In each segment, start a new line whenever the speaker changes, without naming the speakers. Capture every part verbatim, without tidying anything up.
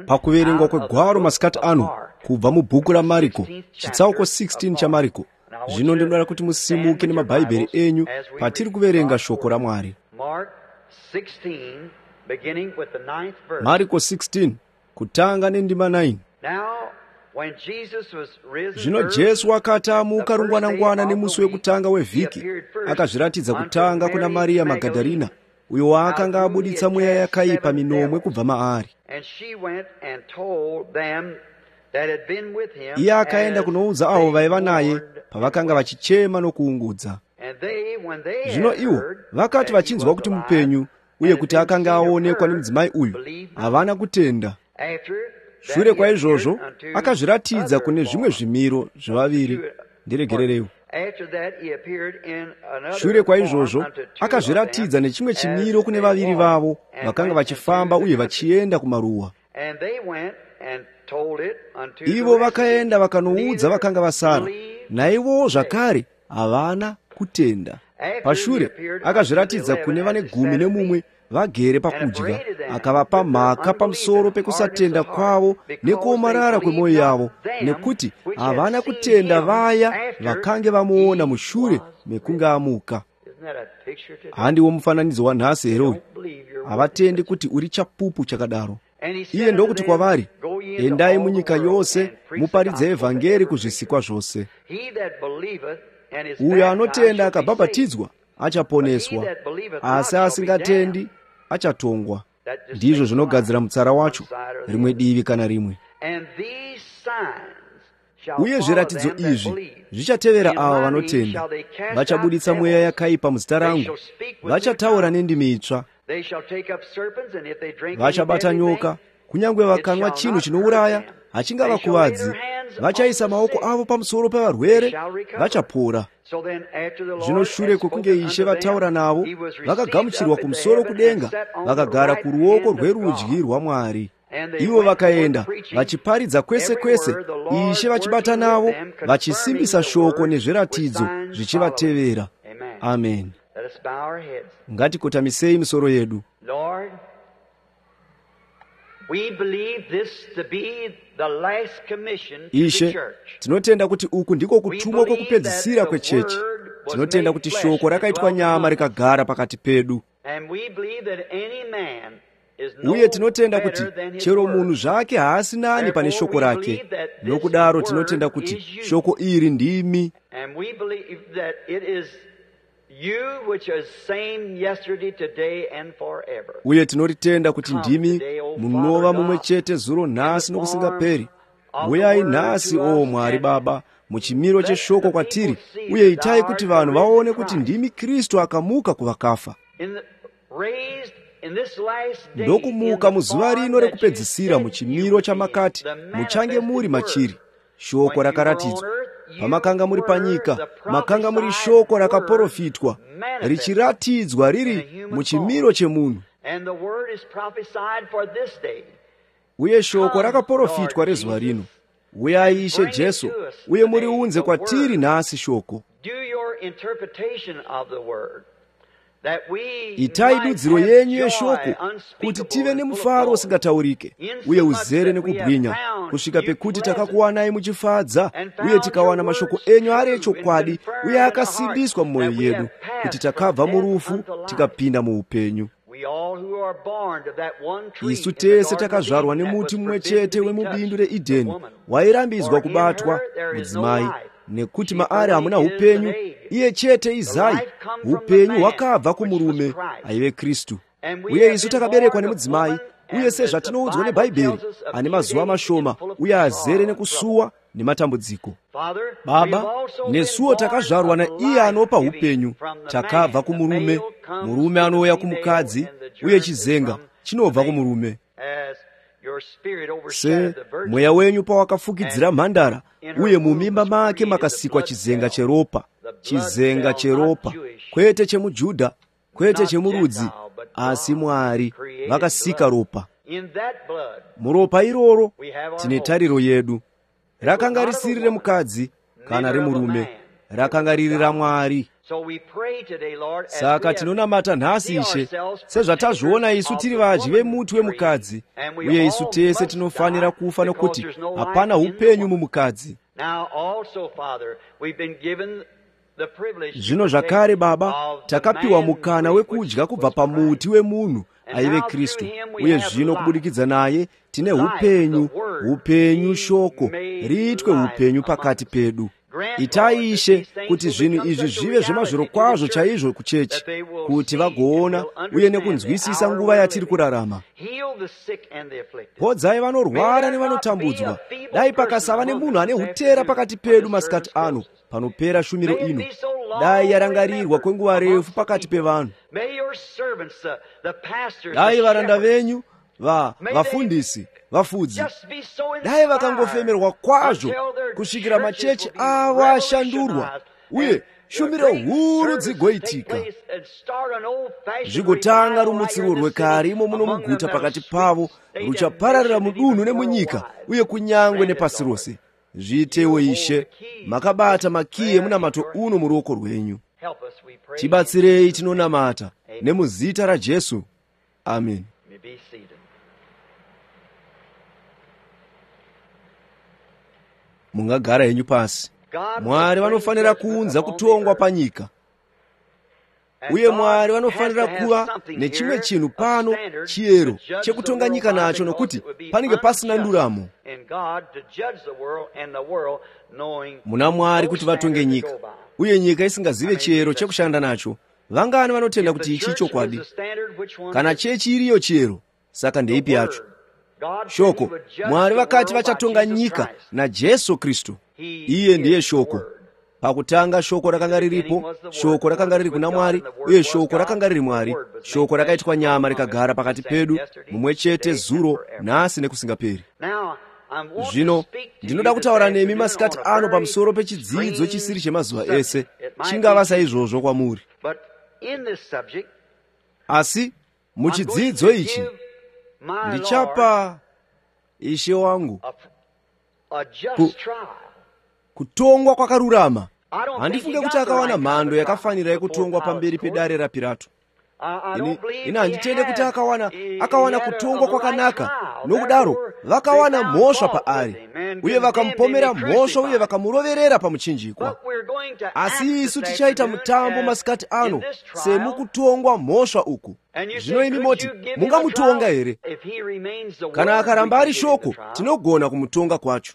pakuverenga kwegwaro masikati ano kubva mubhuku ramariko chitsauko sixteen cha mariko. Zvino ndinoda kuti musimuke nemabhaibheri enyu patiri kuverenga shoko raMwari. Mariko sixteen kutanga nendima nine. Zvino Jesu akati amuka rungwanangwana nemusi wekutanga wevhiki, akazviratidza kutanga kuna Mariya Magadharina, uyo waakanga abuditsa mweya yakaipa minomwe kubva maari. Iye akaenda kunoudza avo vaiva naye pavakanga vachichema nokuungudza. Zvino ivo vakati vachinzwa kuti mupenyu uye kuti akanga aonekwa nemudzimai uyu, havana kutenda. Shure kwaizvozvo akazviratidza kune zvimwe zvimiro zvavaviri. Ndiregererewo. Shure kwaizvozvo akazviratidza nechimwe chimiro kune vaviri vavo vakanga vachifamba uye vachienda kumaruwa. Ivo vakaenda vakanoudza vakanga vasara, naivowo zvakare havana kutenda. Pashure akazviratidza kune vane gumi nemumwe vagere pakudya, akavapa mhaka pamusoro pekusatenda kwavo nekuomarara kwemwoyo yavo, nekuti havana kutenda vaya vakange vamuona mushure mekunge amuka. Handiwo mufananidzo wanhasi here? Havatendi kuti uri chapupu chakadaro. Iye ndokuti kwavari, endai munyika yose muparidze evhangeri kuzvisikwa zvose. Uyo anotenda akabhabhatidzwa achaponeswa, asi asingatendi achatongwa. Ndizvo zvinogadzira mutsara wacho, rimwe divi kana rimwe. Uye zviratidzo izvi zvichatevera ava vanotenda: vachabuditsa mweya yakaipa muzita rangu, vachataura nendimi itsva, vachabata nyoka, kunyange vakanwa chinhu chinouraya hachingavakuvadzi, vachaisa maoko avo pamusoro pevarwere, vachapora. Zvino shure kwokunge Ishe vataura navo, vakagamuchirwa kumusoro kudenga, vakagara kuruoko rwerudyi rwaMwari. Ivo vakaenda vachiparidza kwese kwese, Ishe vachibata navo, vachisimbisa shoko nezviratidzo zvichivatevera. Amen. Ngatikotamisei misoro yedu. Ishe, tinotenda kuti uku ndiko kutumwa kwokupedzisira kwechechi. Tinotenda kuti shoko rakaitwa nyama rikagara pakati pedu. Uye tinotenda kuti chero munhu zvake haasi nani pane shoko rake. Nokudaro tinotenda kuti shoko iri ndimi. Uye tinoritenda kuti ndimi munova mumwe chete zuro nhasi nokusingaperi. Uyai nhasi, o Mwari Baba, muchimiro cheshoko kwatiri, uye itai kuti vanhu vaone kuti ndimi Kristu akamuka kuvakafa. Ndokumuka muzuva rino rekupedzisira muchimiro chamakati muchange muri machiri. Shoko rakaratidzwa. Pamakanga muri panyika, makanga muri shoko rakaprofitwa, richiratidzwa riri muchimiro chemunhu. Uye shoko rakaprofitwa rezuva rino. Uyai Ishe Jesu, uye muriunze kwatiri nhasi shoko. Itai dudziro yenyu yeshoko, kuti tive nemufaro usingataurike, uye uzere nekubwinya, kusvika pekuti takakuwanai muchifadza, uye tikawana mashoko enyu ari echokwadi, uye akasimbiswa mumwoyo yedu, kuti takabva murufu tikapinda muupenyu. Isu tese takazvarwa nemuti mumwe chete wemubindu reEdheni, wairambidzwa kubatwa mudzimai, nekuti maari hamuna upenyu, iye chete izai, upenyu hwakabva kumurume, aive Kristu. Uye isu takaberekwa nemudzimai, uye sezvatinoudzwa neBhaibheri, ane mazuva mashoma uye azere nekusuwa nematambudziko. Baba, nesuwo takazvarwa naiye anopa upenyu, takabva kumurume, murume anouya kumukadzi, uye chizenga chinobva kumurume. Se mweya wenyu pawakafukidzira mhandara, uye mumimba make makasikwa chizenga cheropa, chizenga cheropa, kwete chemuJudha, kwete chemurudzi, asi Mwari vakasika ropa. Muropa iroro tine tariro yedu. Rakanga risiri remukadzi kana remurume, rakanga riri raMwari. saka tinonamata nhasi Ishe sezvatazviona isu tiri vadyi vemuti wemukadzi, uye isu tese tinofanira kufa nokuti hapana upenyu mumukadzi. Zvino zvakare Baba, takapiwa mukana wekudya kubva pamuti wemunhu aive Kristu, uye zvino kubudikidza naye tine upenyu, upenyu shoko riitwe upenyu pakati pedu. Itai Ishe kuti zvinhu izvi zvive zvemazviro kwazvo chaizvo kuchechi, kuti vagoona uye nekunzwisisa nguva yatiri kurarama. Podzai vanorwara nevanotambudzwa. Dai pakasava nemunhu ane utera pakati pedu masikati ano panopera shumiro ino, dai yarangarirwa kwenguva refu pakati pevanhu. Dai varanda venyu, va vafundisi, vafudzi, dai vakangofemerwa kwazvo kusvikira machechi avo ashandurwa uye shumiro huru dzigoitika, zvigotanga rumutsiro rwekare imo muno muguta pakati pavo, ruchapararira mudunhu nemunyika uye kunyangwe nepasi rose. Zviitewo Ishe, makabata makiye munamato uno muruoko rwenyu. Tibatsirei tinonamata nemuzita raJesu. Amen. Mungagara henyu pasi. Mwari vanofanira kuunza kutongwa panyika, uye Mwari vanofanira kuva nechimwe chinhu pano, chiyero chekutonga nyika nacho, nokuti panenge pasina nduramo. Muna Mwari kuti vatonge nyika, uye nyika isingazive chiyero chekushanda nacho. Vangani vanotenda kuti ichi chokwadi? Kana chechi iriyo chiyero, saka ndeipi yacho? Shoko, Mwari vakati vachatonga nyika naJesu Kristu. Iye ndiye shoko. Pakutanga shoko rakanga riripo, shoko rakanga riri kuna Mwari, uye shoko rakanga riri Mwari. Shoko rakaitwa nyama rikagara pakati pedu, mumwe chete zuro, nhasi nekusingaperi. Zvino ndinoda kutaura nemi masikati ano pamusoro pechidzidzo chisiri chemazuva ese, chingava saizvozvo kwamuri. Asi muchidzidzo ichi ndichapa Ishe wangu ku, kutongwa kwakarurama. Handifunge kuti akawana mhando yakafanira yekutongwa pamberi pedare raPirato. Ini, ini handitende kuti akawana, akawana kutongwa kwakanaka, nokudaro vakawana mhosva paari, uye vakamupomera mhosva uye vakamuroverera pamuchinjikwa. Asi isu tichaita mutambo masikati ano semukutongwa mhosva uku. Zvino imi moti, mungamutonga here? Kana akaramba ari shoko, tinogona kumutonga kwacho,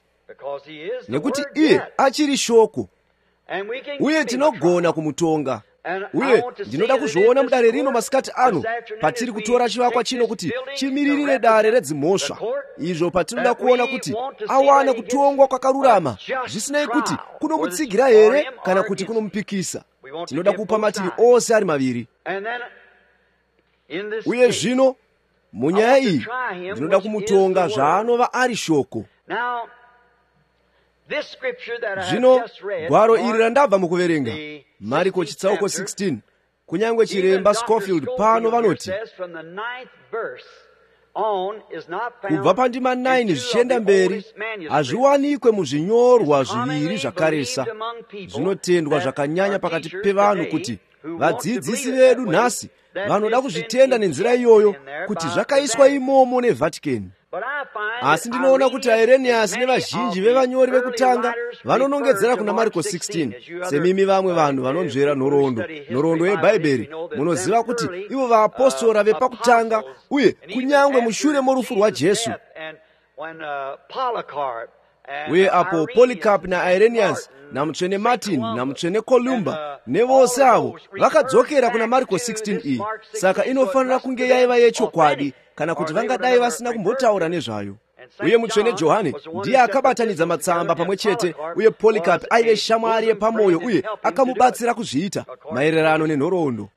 nekuti iye achiri shoko, uye tinogona kumutonga. Uye ndinoda kuzviona mudare rino masikati ano, patiri kutora chivakwa chino kuti chimiririre dare redzimhosva, izvo patinoda kuona kuti awana kutongwa kwakarurama, zvisinei kuti kunomutsigira here kana kuti kunomupikisa. Tinoda kupa mativi ose ari maviri. Uye zvino munyaya iyi ndinoda kumutonga zvaanova ari shoko. Zvino gwaro iri randabva mukuverenga, Mariko chitsauko sixteen, kunyangwe chiremba Scofield pano vanoti kubva pandima nine zvichienda mberi hazviwanikwe muzvinyorwa zviviri zvakaresa. Zvinotendwa zvakanyanya pakati pevanhu kuti vadzidzisi vedu nhasi vanoda kuzvitenda nenzira iyoyo kuti zvakaiswa imomo neVhatikani. Asi ndinoona kuti Ireniasi nevazhinji vevanyori vekutanga vanonongedzera kuna Mariko sixteen, semimi vamwe vanhu vanonzvera nhoroondo, nhoroondo yebhaibheri. Munoziva kuti ivo vaapostora vepakutanga, uye kunyangwe mushure morufu rwaJesu, uye apo Polycarp naIreniasi namutsvene Martin namutsvene Columba nevose avo vakadzokera kuna Mariko sixteen iyi. Saka inofanira kunge yaiva yechokwadi, kana kuti vangadai vasina kumbotaura nezvayo. Uye mutsvene Johani ndiye akabatanidza matsamba pamwe chete, uye Polycarp aive shamwari yepamwoyo uye akamubatsira kuzviita maererano nenhoroondo.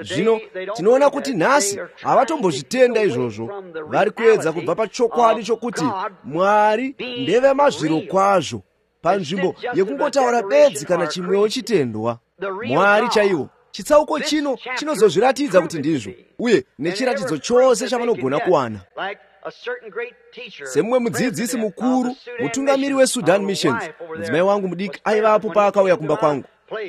Zvino tinoona kuti nhasi havatombozvitenda izvozvo. Vari kuedza kubva pachokwadi chokuti Mwari ndeve mazviro kwazvo, panzvimbo yekungotaura bedzi kana chimwewo chitendwa. Mwari chaiwo, chitsauko chino chinozozviratidza kuti ndizvo, uye nechiratidzo chose chavanogona kuwana. Semumwe mudzidzisi mukuru, mutungamiri weSudan Missions, mudzimai wangu mudiki aivapo paakauya kumba kwangu.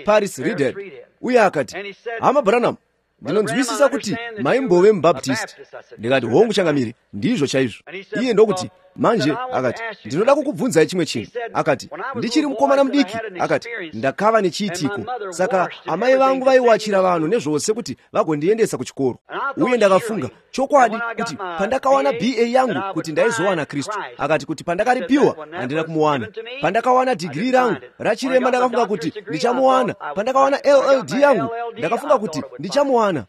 Paris Reed, uye akati, hama Branham, ndinonzwisisa kuti maimbove mubaptist. Ndikati, hongu Changamire, ndizvo chaizvo. Iye ndokuti, manje akati, ndinoda kukubvunzai chimwe chinhu. Akati, ndichiri mukomana mudiki, akati, ndakava nechiitiko, saka amai vangu vaiwachira vanhu nezvose kuti vagondiendesa kuchikoro. Uye ndakafunga chokwadi kuti pandakawana B A yangu kuti ndaizowana Kristu. Akati kuti pandakaripiwa handina kumuwana. Pandakawana digiri rangu rachirema ndakafunga kuti ndichamuwana. Pandakawana L L D yangu ndakafunga kuti ndichamuwana.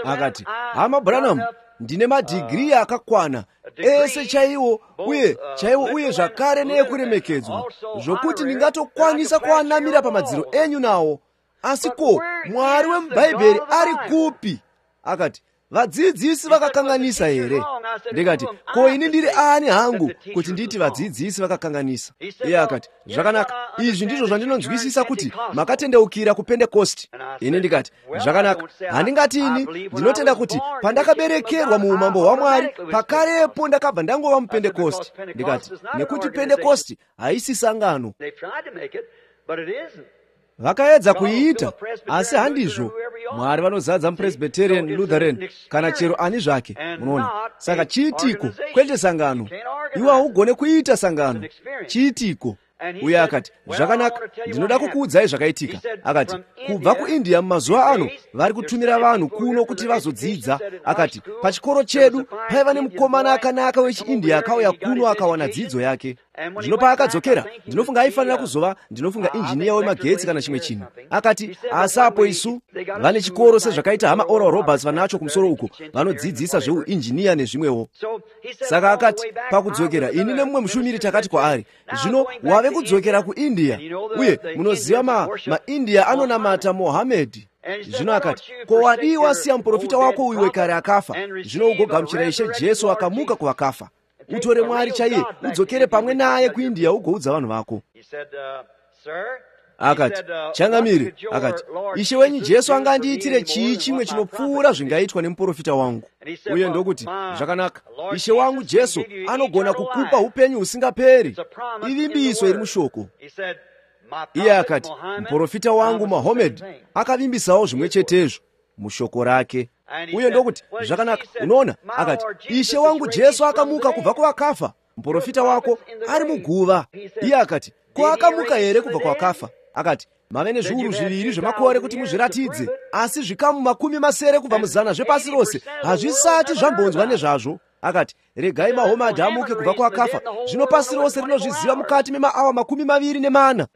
Akati, hama Branham, ndine madigiri akakwana ese chaiwo uye chaiwo uye zvakare neekuremekedzwa zvokuti ndingatokwanisa kuanamira pamadziro enyu nawo. Asi ko Mwari wemubhaibheri ari kupi? Akati, vadzidzisi vakakanganisa here? Ndikati, ko ini ndiri ani hangu kuti nditi vadzidzisi vakakanganisa? Iye akati, zvakanaka, izvi ndizvo zvandinonzwisisa kuti makatendeukira kuPentekosti. Ini ndikati, zvakanaka, handingati ini ndinotenda kuti pandakaberekerwa muumambo hwaMwari pakarepo ndakabva ndangova muPentekosti. Ndikati, nekuti Pentekosti haisi sangano. Vakaedza kuiita, asi handizvo. Mwari vanozadza muPresbyterian, Lutheran kana chero ani zvake, munoona. Saka chiitiko, kwete sangano. Iwe haugone kuita sangano, chiitiko. Uye akati, zvakanaka, ndinoda kukuudzai zvakaitika. Akati, kubva kuIndia mumazuva ano vari kutumira vanhu kuno kuti vazodzidza. Akati, pachikoro chedu paiva nemukomana akanaka wechiIndia akauya kuno akawana dzidzo yake. Zvino paakadzokera, ndinofunga aifanira kuzova, ndinofunga injiniya wemagetsi kana chimwe chinhu. Akati, asapo isu vane chikoro sezvakaita hama Oral Roberts vanacho kumusoro uko, vanodzidzisa zveuinjiniya nezvimwewo. Saka akati, pakudzokera, ini nemumwe mushumiri takati kwaari, zvino wave kudzokera kuIndia, uye munoziva ma maIndia anonamata Mohammed. Zvino akati, ko wadii wasiya muprofita wako uyu wekare akafa, zvino ugogamuchira Ishe Jesu akamuka kuvakafa. Utore Mwari chaiye, udzokere pamwe naye kuIndia ugoudza vanhu vako. Akati, Changamire, akati, Ishe wenyu Jesu angandiitire chii chimwe chinopfuura zvingaitwa nemuprofita wangu? Uye ndokuti, zvakanaka, Ishe wangu Jesu anogona kukupa upenyu husingaperi. Ivimbiso iri mushoko. Iye akati, muprofita wangu Mohammed akavimbisawo zvimwe chetezvo mushoko rake. Uye ndokuti, zvakanaka, unoona? Akati, Ishe wangu Jesu akamuka kubva kuvakafa, muprofita wako ari muguva. Iye akati, ko akamuka here kubva kuvakafa? Akati, mave nezviuru zviviri zvemakore kuti muzviratidze, asi zvikamu makumi masere kubva muzana zvepasi rose hazvisati zvambonzwa nezvazvo. Akati, regai Mohammed amuke kubva kuvakafa, zvino pasi rose rinozviziva mukati memaawa makumi maviri nemana.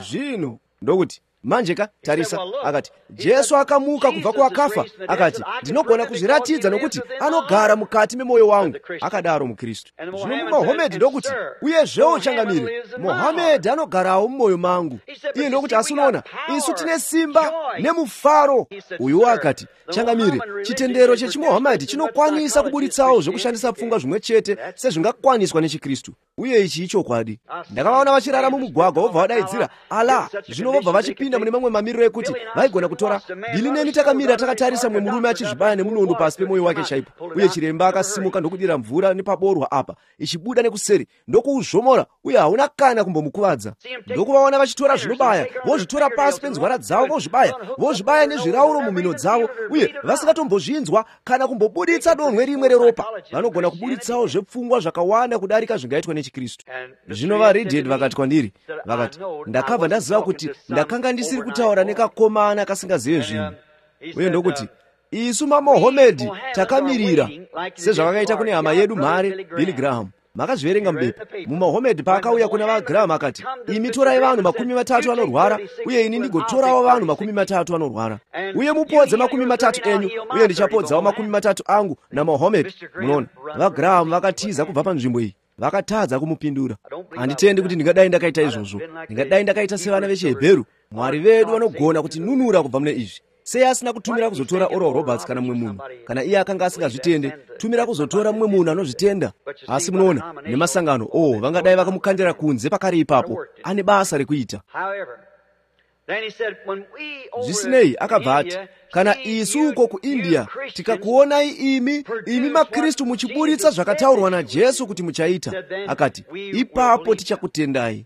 Zvino ndokuti, manje ka tarisa. Akati, Jesu akamuka kubva kuvakafa. Akati, ndinogona kuzviratidza nokuti anogara mukati memoyo wangu. Akadaro muKristu. Zvino Mohammed ndokuti, uye zvewo Changamire, Mohammed anogarawo mumwoyo mangu. Iye ndokuti, asi unoona, isu tine simba nemufaro. Uyu akati, Changamire, chitendero chechiMohammed chinokwanisa kuburitsawo zvekushandisa pfungwa zvimwe chete sezvingakwaniswa nechiKristu. Uye ichi ichokwadi. Ndakavaona vachirara mumugwagwa vobva vadaidzira, ala, zvino vobva vachipinda mune mamwe mamiriro ekuti vaigona kutora. Bili neni takamira takatarisa mwe murume achizvibaya nemunondo pasi pemoyo wake chaipo, uye chiremba akasimuka ndokudira mvura nepaborwa apa ichibuda nekuseri ndokuuzvomora, uye hauna kana kumbomukuvadza. Ndokuvaona vachitora zvinobaya vozvitora pasi penzwara dzavo vozvibaya vozvibaya nezvirauro mumino dzavo, uye vasingatombozvinzwa kana kumbobuditsa donhwe rimwe reropa. Vanogona kubuditsawo zvepfungwa zvakawanda kudarika zvingaitwa nechiKristu. Zvino vaReed vakati kwandiri, vakati, ndakabva ndaziva kuti ndakanga ndisiri kutaura nekakomana kasingazive zvinhu. Uye ndokuti, isu maMohammed takamirira sezvavakaita kune hama yedu mhare Billy Graham. Makazviverenga mubepa. MuMohammed paakauya kuna vaGraham akati, imi torai vanhu makumi matatu anorwara, uye ini ndigotorawo vanhu makumi matatu anorwara. Uye mupodze makumi matatu enyu, uye ndichapodzawo makumi matatu angu naMohammed. Munoona, vaGraham vakatiza kubva panzvimbo iyi. Vakatadza kumupindura. Handitendi kuti ndingadai ndakaita izvozvo. Ndingadai ndakaita sevana vechiHebheru. Mwari vedu vanogona kuti nunura kubva mune izvi. Sei asina kutumira kuzotora Oral Roberts kana mumwe munhu? Kana iye akanga asingazvitende, tumira kuzotora mumwe munhu anozvitenda. Asi munoona, nemasangano, oh, vangadai vakamukandira kunze pakari ipapo. Ane basa rekuita. Zvisinei akabva ati, kana isu uko kuIndia tikakuonai imi, imi maKristu muchiburitsa zvakataurwa naJesu kuti muchaita, akati, ipapo tichakutendai.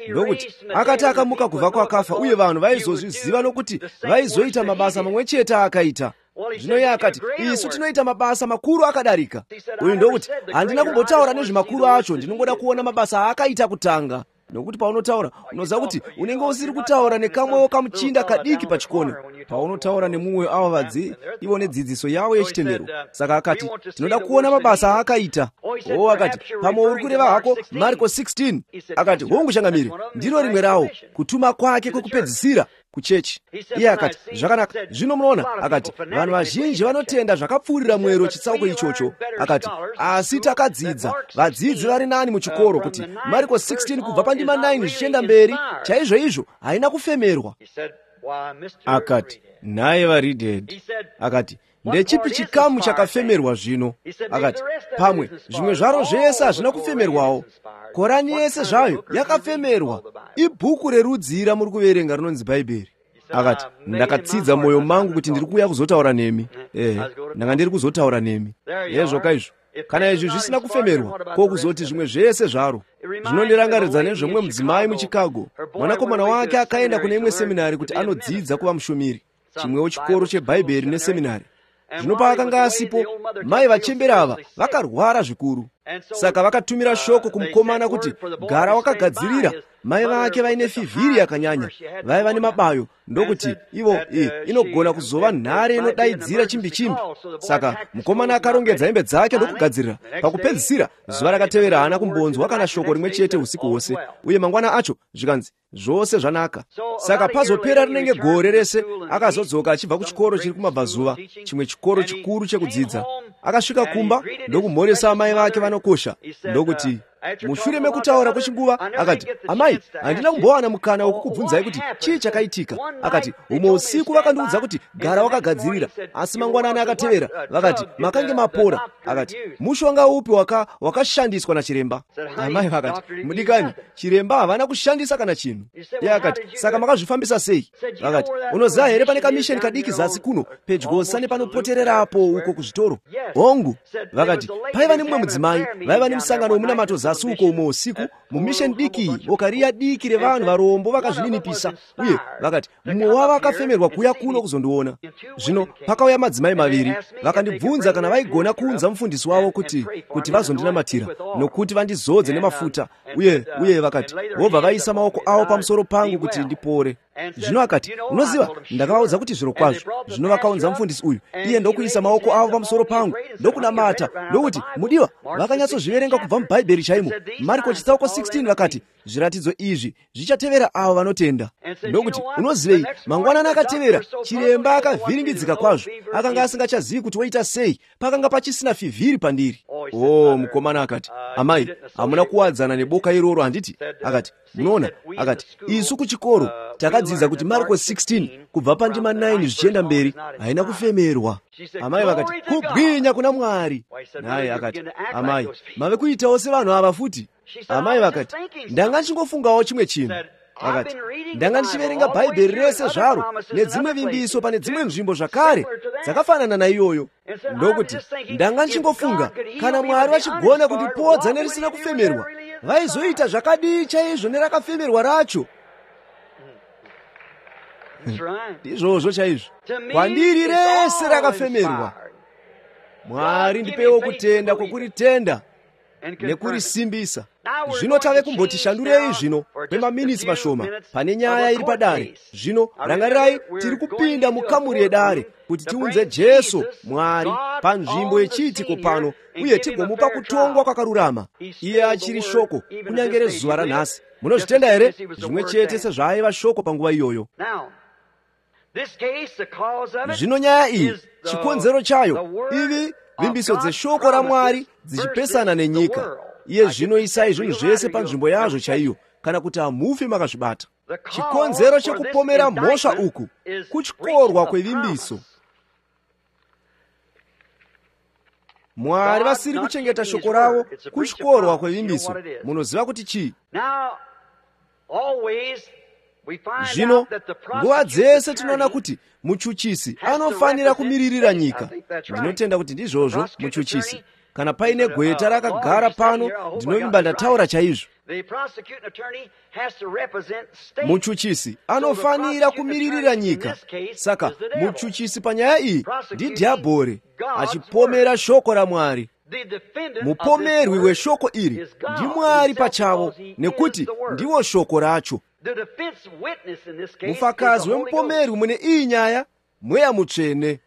ndokuti akati akamuka kubva kwakafa uye vanhu vaizozviziva nokuti vaizoita mabasa mamwe chete akaita. Zvino iye akati, isu tinoita mabasa makuru akadarika. Uyu ndokuti handina kumbotaura nezvemakuru acho, ndinongoda kuona mabasa akaita kutanga. Nokuti paunotaura unoziva kuti unenge usiri kutaura nekamwewo kamuchinda kadiki pachikono, paunotaura nemumwe ava vadzi ivo nedzidziso yavo yechitendero. Saka akati tinoda kuona mabasa akaita. O akati pamwe uri kureva hako Marko sixteen. Akati hongu changamire, ndiro rimwe rawo, kutuma kwake kwekupedzisira kuchechi. Iye akati zvakanaka, zvino munoona, akati vanhu vazhinji vanotenda zvakapfuurira mwero chitsauko ichocho. Akati asi takadzidza, vadzidzi vari nani muchikoro kuti Marko sixteen kubva pandima nine zvichienda mberi chaizvo izvo haina kufemerwa. Akati naye vaReadhead akati ndechipi chikamu chakafemerwa zvino? Akati pamwe zvimwe zvaro zvese hazvina kufemerwawo. Korani yese zvayo yakafemerwa. Ibhuku rerudzira muri kuverenga rinonzi Bhaibheri. Akati ndakatsidza mwoyo mangu kuti ndiri kuuya kuzotaura nemi. Eh, ndanga ndiri kuzotaura nemi. Yezvo kaizvo. Kana izvi zvisina kufemerwa, ko kuzoti zvimwe zvese zvaro. Zvinondirangaridza nezvomwe mudzimai muChicago. Mwanakomana wake akaenda kune imwe seminari kuti anodzidza kuva mushumiri. Chimwewo chikoro cheBhaibheri neseminari. Zvino paakanga asipo, mai vachembera ava vakarwara zvikuru. Saka vakatumira shoko kumukomana kuti gara wakagadzirira. Mai vake vaine fivhiri yakanyanya, vaiva nemabayo, ndokuti ivo e, inogona kuzova nhare inodaidzira chimbi chimbi. Saka mukomana akarongedza hembe dzake ndokugadzirira. Pakupedzisira zuva rakatevera haana kumbonzwa kana shoko rimwe chete usiku hwose, uye mangwana acho zvikanzi zvose zvanaka. Saka pazopera rinenge gore rese akazodzoka achibva kuchikoro chiri kumabvazuva, chimwe chikoro chikuru chekudzidza. Akasvika kumba ndokumhoresa amai vake vanokosha, ndokuti mushure mekutaura kwechinguva akati amai handina kumbowana mukana wokukubvunzai kuti chii chakaitika. Akati umwe usiku vakandiudza kuti gara wakagadzirira, asi mangwanani akatevera vakati makange mapora. Akati mushonga upi waka wakashandiswa nachiremba? Amai vakati mudikani, chiremba havana kushandisa kana chinhu. Iye akati saka makazvifambisa sei? Vakati unoziva here pane kamisheni kadiki zasi kuno pedyo sane panopotererapo uko kuzvitoro? Hongu. Vakati paiva nemumwe mudzimai vaiva nemusangano wemunamato zasi uko umwe usiku mumisheni diki bokariya diki revanhu varombo vakazvininipisa, uye vakati mumwe wavo akafemerwa kuuya kuno kuzondiona. Zvino pakauya madzimai maviri vakandibvunza kana vaigona kuunza mufundisi wavo kuti kuti vazondinamatira nokuti vandizodze nemafuta, uye uye vakati vobva vaisa maoko avo pamusoro pangu kuti ndipore. Zvino akati unoziva ndakavaudza kuti zviro kwazvo. Zvino vakaunza mufundisi uyu, iye ndokuisa maoko avo pamusoro pangu ndokunamata, ndokuti mudiwa vakanyatsozviverenga kubva muBhaibheri chaimo, Marko chitsauko sixteen. Vakati zviratidzo izvi zvichatevera avo vanotenda. Ndokuti unozivei, mangwanani akatevera chiremba akavhiringidzika kwazvo, akanga asingachazivi kuti woita sei, pakanga pachisina fivhiri pandiri. O mukomana akati amai hamuna kuwadzana neboka iroro handiti? Akati munoona, akati isu kuchikoro takadzidza kuti Marko sixteen kubva pandima nine zvichienda mberi haina kufemerwa. Amai vakati kubwinya kuna Mwari. Naye akati amai mave kuitawo sevanhu ava futi. Amai vakati ndanga ndichingofungawo chimwe chinhu. Akati ndanga ndichiverenga Bhaibheri rese zvaro nedzimwe vimbiso pane dzimwe nzvimbo zvakare dzakafanana naiyoyo. Ndokuti ndanga ndichingofunga kana Mwari vachigona kundipodza nerisina kufemerwa, vaizoita zvakadii chaizvo nerakafemerwa racho. Ndizvozvo chaizvo, kwandiri rese rakafemerwa. Mwari ndipewo kutenda kwokuritenda nekurisimbisa. Zvino tave kumbotishandurei zvino kwemaminitsi mashoma pane nyaya iri padare. Zvino rangarirai tiri kupinda mukamuri yedare kuti tiunze Jesu Mwari panzvimbo yechiitiko pano, uye tigomupa kutongwa kwakarurama. Iye achiri shoko kunyange rezuva ranhasi. Munozvitenda here? Zvimwe chete sezvaaiva shoko panguva iyoyo. Zvino nyaya iyi chikonzero chayo ivi vimbiso dzeshoko raMwari dzichipesana nenyika. Iye zvino isai zvinhu zvese panzvimbo yazvo chaiyo, kana kuti hamufi makazvibata. Chikonzero chekupomera mhosva uku kuchikorwa kwevimbiso. Mwari vasiri kuchengeta shoko ravo kuchikorwa kwevimbiso. Munoziva kuti chii? Zvino nguva dzese tinoona kuti muchuchisi anofanira kumiririra nyika. Ndinotenda kuti ndizvozvo muchuchisi. kana paine gweta rakagara pano, ndinovimba ndataura chaizvo. Muchuchisi anofanira kumiririra nyika. Saka muchuchisi panyaya iyi ndidhiabhori achipomera shoko raMwari. Mupomerwi weshoko iri ndi Mwari pachavo, nekuti ndiwo shoko racho. Mufakazi wemupomerwi mune iyi nyaya Mweya Mutsvene.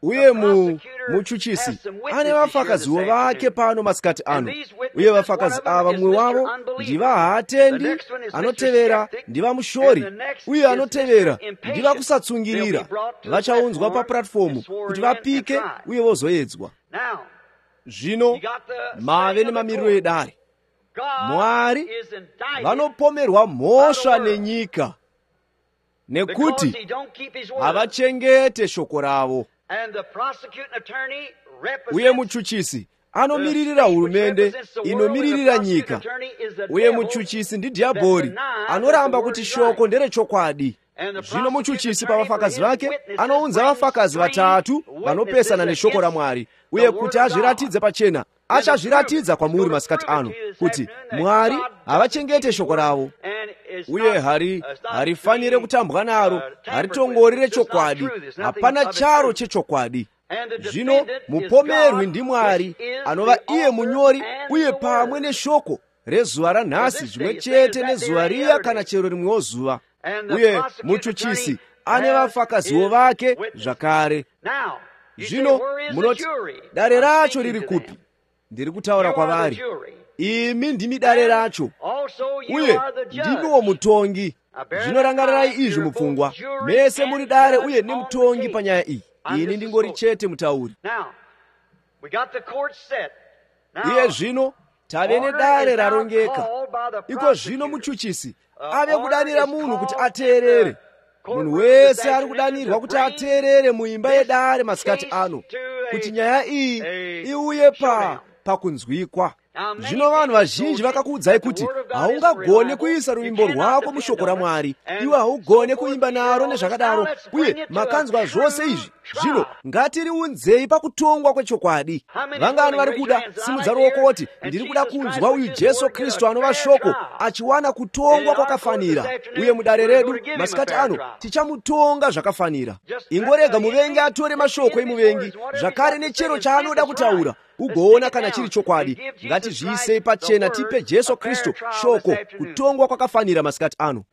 Uye mu muchuchisi ane vafakaziwo vake pano masikati ano, uye vafakazi ava mumwe wavo ndi vahaatendi, anotevera ndi vamushori, uye anotevera ndi vakusatsungirira. Vachaunzwa pa platform kuti vapike uye vozoedzwa. Zvino mave nemamiriro edare. Mwari vanopomerwa mhosva nenyika nekuti havachengete shoko ravo. Uye muchuchisi anomiririra hurumende inomiririra nyika. Uye muchuchisi ndi dhiabhori anoramba kuti shoko nderechokwadi. Zvino muchuchisi pa vafakazi vake anounza vafakazi vatatu vanopesana neshoko raMwari, uye kuti azviratidze pachena achazviratidza kwamuri masikati ano kuti Mwari havachengete shoko ravo, uye hari harifanire kutambwa naro, haritongorere chokwadi, hapana charo chechokwadi. Zvino mupomerwi ndi Mwari anova iye munyori, uye pamwe neshoko rezuva ranhasi zvimwe chete nezuva riya kana chero rimwewo zuva. Uye muchuchisi ane vafakaziwo vake zvakare. Zvino munoti dare racho riri kupi? Ndiri kutaura kwavari, imi ndimi dare racho, uye ndimiwo mutongi. Zvino rangarirai izvi mupfungwa, mese muri dare uye nemutongi panyaya iyi. Ini ndingori chete mutauri. Iye zvino tave nedare rarongeka. Iko zvino muchuchisi ave kudanira munhu kuti ateerere. Munhu wese ari kudanirwa kuti ateerere muimba yedare masikati ano, kuti nyaya iyi iuye pa pakunzwikwa. Zvino vanhu vazhinji vakakuudzai kuti haungagone kuisa ruvimbo rwako mushoko raMwari, iwe haugone kuimba naro nezvakadaro, uye makanzwa zvose izvi. Zvino ngatiriunzei pakutongwa kwechokwadi. Vangani vari kuda simudza ruoko kuti ndiri kuda kunzwa uyu Jesu Kristu anova shoko achiwana kutongwa kwakafanira, uye mudare redu masikati ano tichamutonga zvakafanira. Ingorega muvengi atore mashoko emuvengi zvakare nechero chaanoda kutaura, ugoona kana chiri chokwadi. Ngatizviisei pachena, tipe Jesu Kristu shoko kutongwa kwakafanira masikati ano.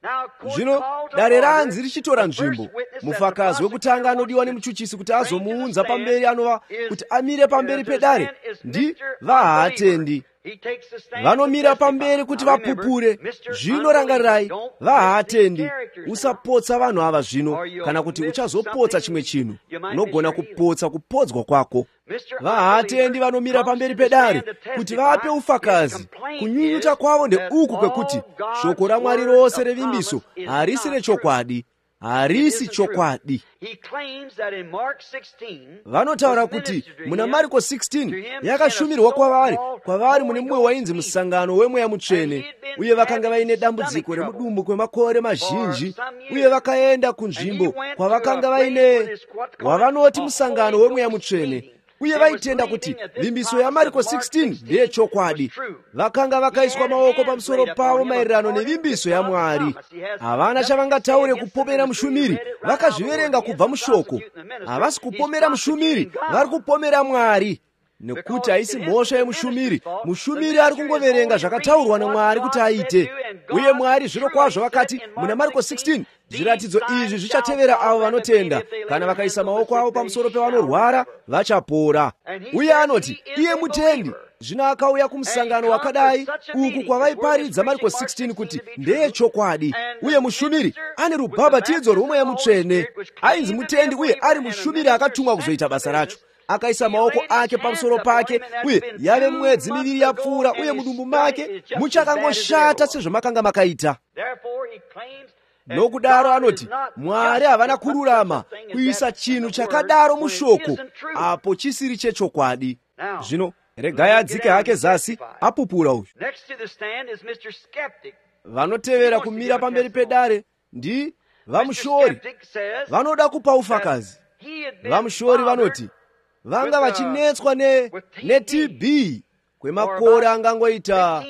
Zvino dare ranzi richitora nzvimbo, mufakazi wekutanga anodiwa nemuchuchisi kuti azomuunza pamberi anova kuti amire pamberi pedare ndi vahaatendi. Vanomira pamberi kuti vapupure. Zvino rangarirai, vahaatendi, usapotsa vanhu ava zvino, kana kuti uchazopotsa chimwe chinhu, unogona kupotsa kupodzwa kwako. Vahaatendi vanomira pamberi pedare kuti vape ufakazi. Kunyunyuta kwavo ndeuku kwekuti shoko raMwari rose revimbiso harisi rechokwadi, harisi chokwadi. Vanotaura kuti muna Marko sixteen yakashumirwa kwavari, kwavari mune mumwe wainzi musangano weMweya Mutsvene, uye vakanga vaine dambudziko remudumbu kwemakore mazhinji, uye vakaenda kunzvimbo kwavakanga vaine wavanoti musangano weMweya Mutsvene, uye vaitenda kuti vimbiso yaMarko sixteen ndiye chokwadi. Vakanga vakaiswa maoko pamusoro pavo maererano nevimbiso yaMwari. Havana chavangataure kupomera mushumiri, vakazviverenga kubva mushoko. Havasi kupomera mushumiri, vari kupomera Mwari, nekuti haisi mhosva yemushumiri. Mushumiri ari kungoverenga zvakataurwa naMwari kuti aite, uye Mwari zviro kwazvo vakati muna Marko sixteen, zviratidzo izvi zvichatevera avo vanotenda, kana vakaisa maoko avo pamusoro pevanorwara vachapora. Uye anoti iye mutendi. Zvino akauya kumusangano wakadai uku kwavaiparidza Marko sixteen kuti ndeye chokwadi, uye mushumiri ane rubhabhatidzo rwomweya mutsvene. Ainzi mutendi uye ari mushumiri akatumwa kuzoita basa racho. Akaisa maoko ake pamusoro pake, uye yave mwedzi miviri yapfuura, uye mudumbu make muchakangoshata sezvamakanga makaita. Nokudaro anoti Mwari havana kururama kuisa chinhu chakadaro mushoko apo chisiri chechokwadi. Zvino regai adzike hake zasi apupura uyu. Vanotevera kumira pamberi pedare ndi vamushori, vanoda kupa ufakazi. Vamushori vanoti vanga vachinetswa ne, ne T B kwemakore angangoita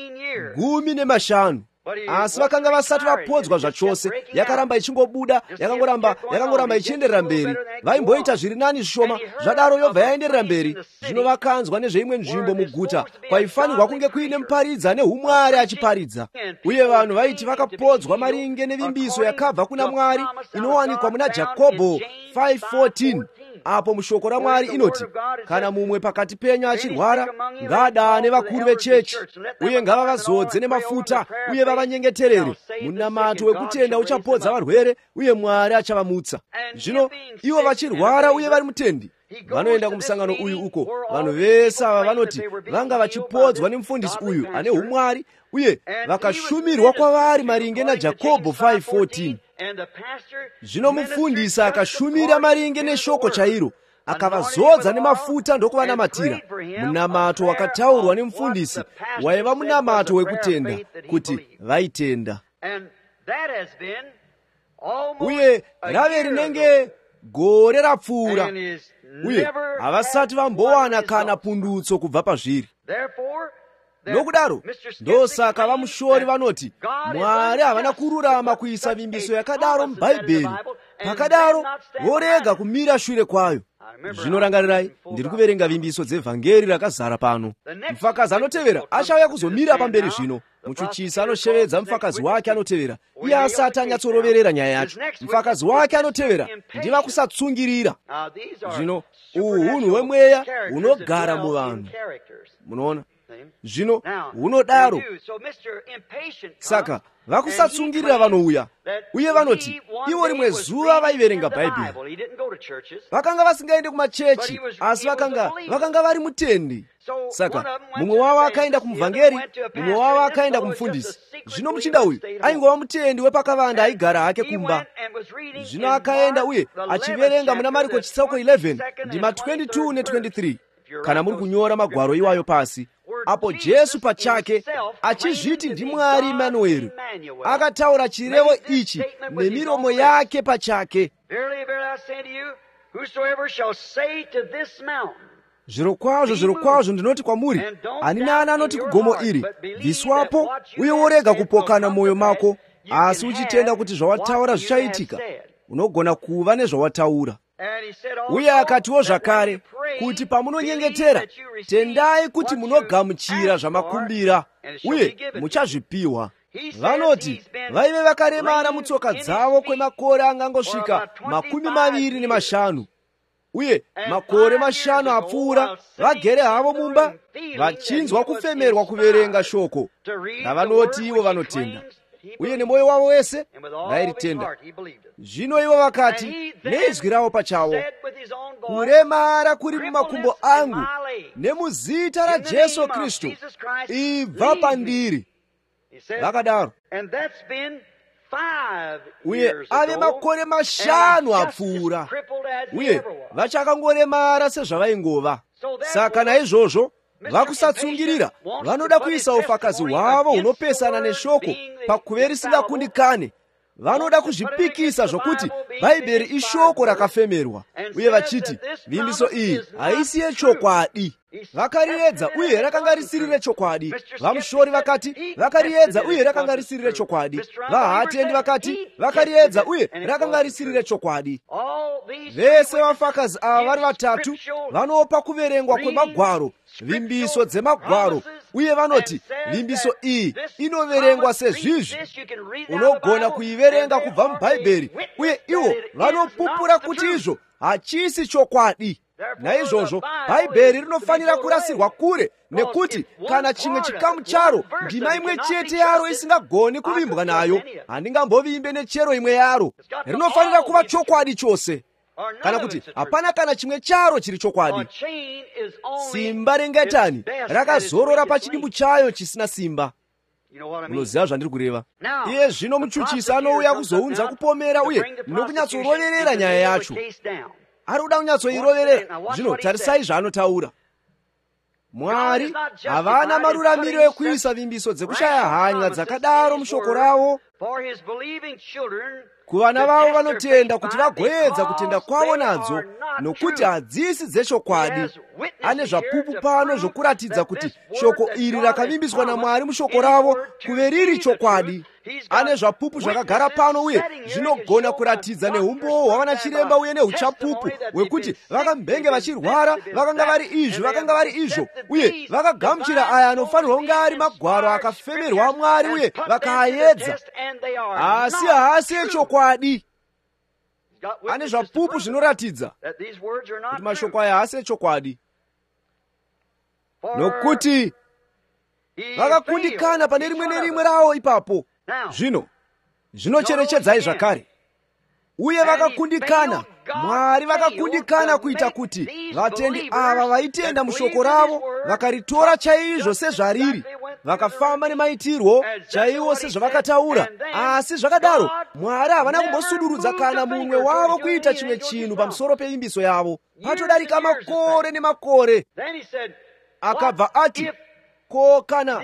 gumi nemashanu. Asi vakanga vasati vapodzwa zvachose, yakaramba ichingobuda, yakangoramba yakangoramba ichienderera mberi. Vaimboita zviri nani zvishoma, zvadaro yobva yaenderera mberi. Zvino vakanzwa nezveimwe nzvimbo muguta kwaifanirwa kunge kuine muparidza neumwari achiparidza. Uye vanhu vaiti vakapodzwa maringe nevimbiso yakabva kuna Mwari inowanikwa muna Jakobho five fourteen. Apo mushoko raMwari inoti, kana mumwe pakati penyu achirwara, ngaadane vakuru vechechi, uye ngavavazodze nemafuta, uye vavanyengeterere. Munamato wekutenda uchapodza varwere, uye Mwari achavamutsa. Zvino ivo vachirwara uye vari mutendi, vanoenda kumusangano uyu uko. Vanhu vese ava vanoti vanga vachipodzwa nemufundisi uyu ane umwari, uye vakashumirwa kwavari maringe naJakobho five fourteen. Zvino mufundisi akashumira maringe neshoko chairo, akavazodza nemafuta ndokuvanamatira. Munamato wakataurwa nemufundisi waiva munamato wekutenda, kuti vaitenda. Uye rave rinenge gore rapfuura, uye havasati vambowana kana pundutso kubva pazviri. Nokudaro ndosaka vamushori vanoti Mwari havana kururama kuisa vimbiso yakadaro mubhaibheri, pakadaro vorega kumira shure kwayo. Zvinorangarirai, ndiri kuverenga vimbiso dzevhangeri rakazara pano. Mufakazi anotevera achauya kuzomira pamberi zvino. Muchuchisi anoshevedza mufakazi wake anotevera, iye asati anyatsoroverera nyaya yacho. Mufakazi wake anotevera ndiva kusatsungirira. Zvino uhunhu hwemweya hunogara muvanhu. Munoona? Zvino hunodaro. Saka vakusatsungirira vanouya, uye vanoti ivo rimwe zuva vaiverenga Bhaibheri. Vakanga vasingaende kumachechi, asi vakanga vakanga vari mutendi. Saka mumwe wavo akaenda kumuvhangeri, mumwe wavo akaenda kumufundisi. Zvino muchinda uyu aingova mutendi wepakavanda, aigara hake kumba. Zvino akaenda uye achiverenga muna Mariko chitsauko eleven ndima twenty-two ne twenty-three. Kana muri kunyora magwaro iwayo pasi, apo Jesu pachake achizviti ndiMwari Emanueri akataura chirevo ichi nemiromo yake pachake. Zvirokwazvo, zvirokwazvo ndinoti kwamuri, ani nani anoti kugomo iri, bviswapo uye worega kupokana mwoyo mako, asi uchitenda kuti zvawataura zvichaitika, unogona kuva nezvawataura. Uye akatiwo zvakare kuti pamunonyengetera, tendai kuti munogamuchira zvamakumbira, uye muchazvipiwa. Vanoti vaive vakaremara mutsoka dzavo kwemakore angangosvika makumi maviri nemashanu, uye makore mashanu apfuura vagere havo mumba, vachinzwa kufemerwa kuverenga shoko. Navanoti ivo vanotenda, uye nemwoyo wavo wese vairitenda. Zvino ivo vakati nezwi ravo pachawo, kuremara kuri mumakumbo angu, nemuzita raJesu Kristu, ibva pandiri. Vakadaro. Uye ave makore mashanu apfuura, uye vachakangoremara sezvavaingova. Saka naizvozvo vakusatsungirira vanoda kuisa ufakazi hwavo hunopesana neshoko pakuve risingakundikane. Vanoda kuzvipikisa zvokuti Bhaibheri ishoko rakafemerwa, uye vachiti vimbiso iyi haisi yechokwadi. Vakariedza uye rakanga risiri rechokwadi. Vamushori vakati vakariedza uye rakanga risiri rechokwadi. Vahatendi vakati vakariedza uye rakanga risiri rechokwadi. Vese vafakazi ava vari vatatu vanopa kuverengwa kwemagwaro, vimbiso dzemagwaro, uye vanoti vimbiso iyi inoverengwa sezvizvi. Unogona kuiverenga kubva mubhaibheri, uye ivo vanopupura kuti izvo hachisi chokwadi. Naizvozvo Bhaibheri rinofanira kurasirwa kure, nekuti kana chimwe chikamu charo, ndima imwe chete yaro isingagoni kuvimbwa nayo, handingamboviimbe nechero imwe yaro. Rinofanira kuva chokwadi chose, kana kuti hapana kana chimwe charo chiri chokwadi. Simba rengetani rakazorora pachidimbu chayo chisina simba. Munoziva zvandiri kureva. Iye zvino muchuchisi anouya kuzounza kupomera uye nokunyatsoroverera nyaya yacho. Ari kuda kunyatsoiroverera. Zvino tarisai zvaanotaura. Mwari havana maruramiriro ekuisa vimbiso dzekushaya hanya dzakadaro mushoko ravo, ku vana vavo vanotenda kuti vagoedza kutenda kwavo nadzo nokuti hadzisi dzechokwadi. Ane zvapupu pano zvokuratidza kuti shoko iri rakavimbiswa naMwari mushoko ravo kuve riri chokwadi. Ane zvapupu zvakagara pano uye zvinogona kuratidza neumbowo hwavanachiremba uye neuchapupu hwekuti vakambenge vachirwara vakanga vari izvo vakanga vari izvo uye vakagamuchira aya anofanirwa kunge ari magwaro akafemerwa aMwari uye vakaayedza, asi haasi echokwadi. Ane zvapupu zvinoratidza kuti mashoko aya haasi echokwadi, nokuti vakakundikana pane rimwe nerimwe rawo ipapo. Zvino zvinocherechedzai zvakare, uye vakakundikana. Mwari vakakundikana kuita kuti vatendi ava vaitenda mushoko ravo vakaritora chaizvo sezvariri, vakafamba nemaitirwo chaiwo sezvavakataura. Asi zvakadaro Mwari havana kumbosudurudza kana mumwe wavo kuita chimwe chinhu pamusoro peimbiso yavo. Patodarika makore nemakore. Akabva ati, ko kana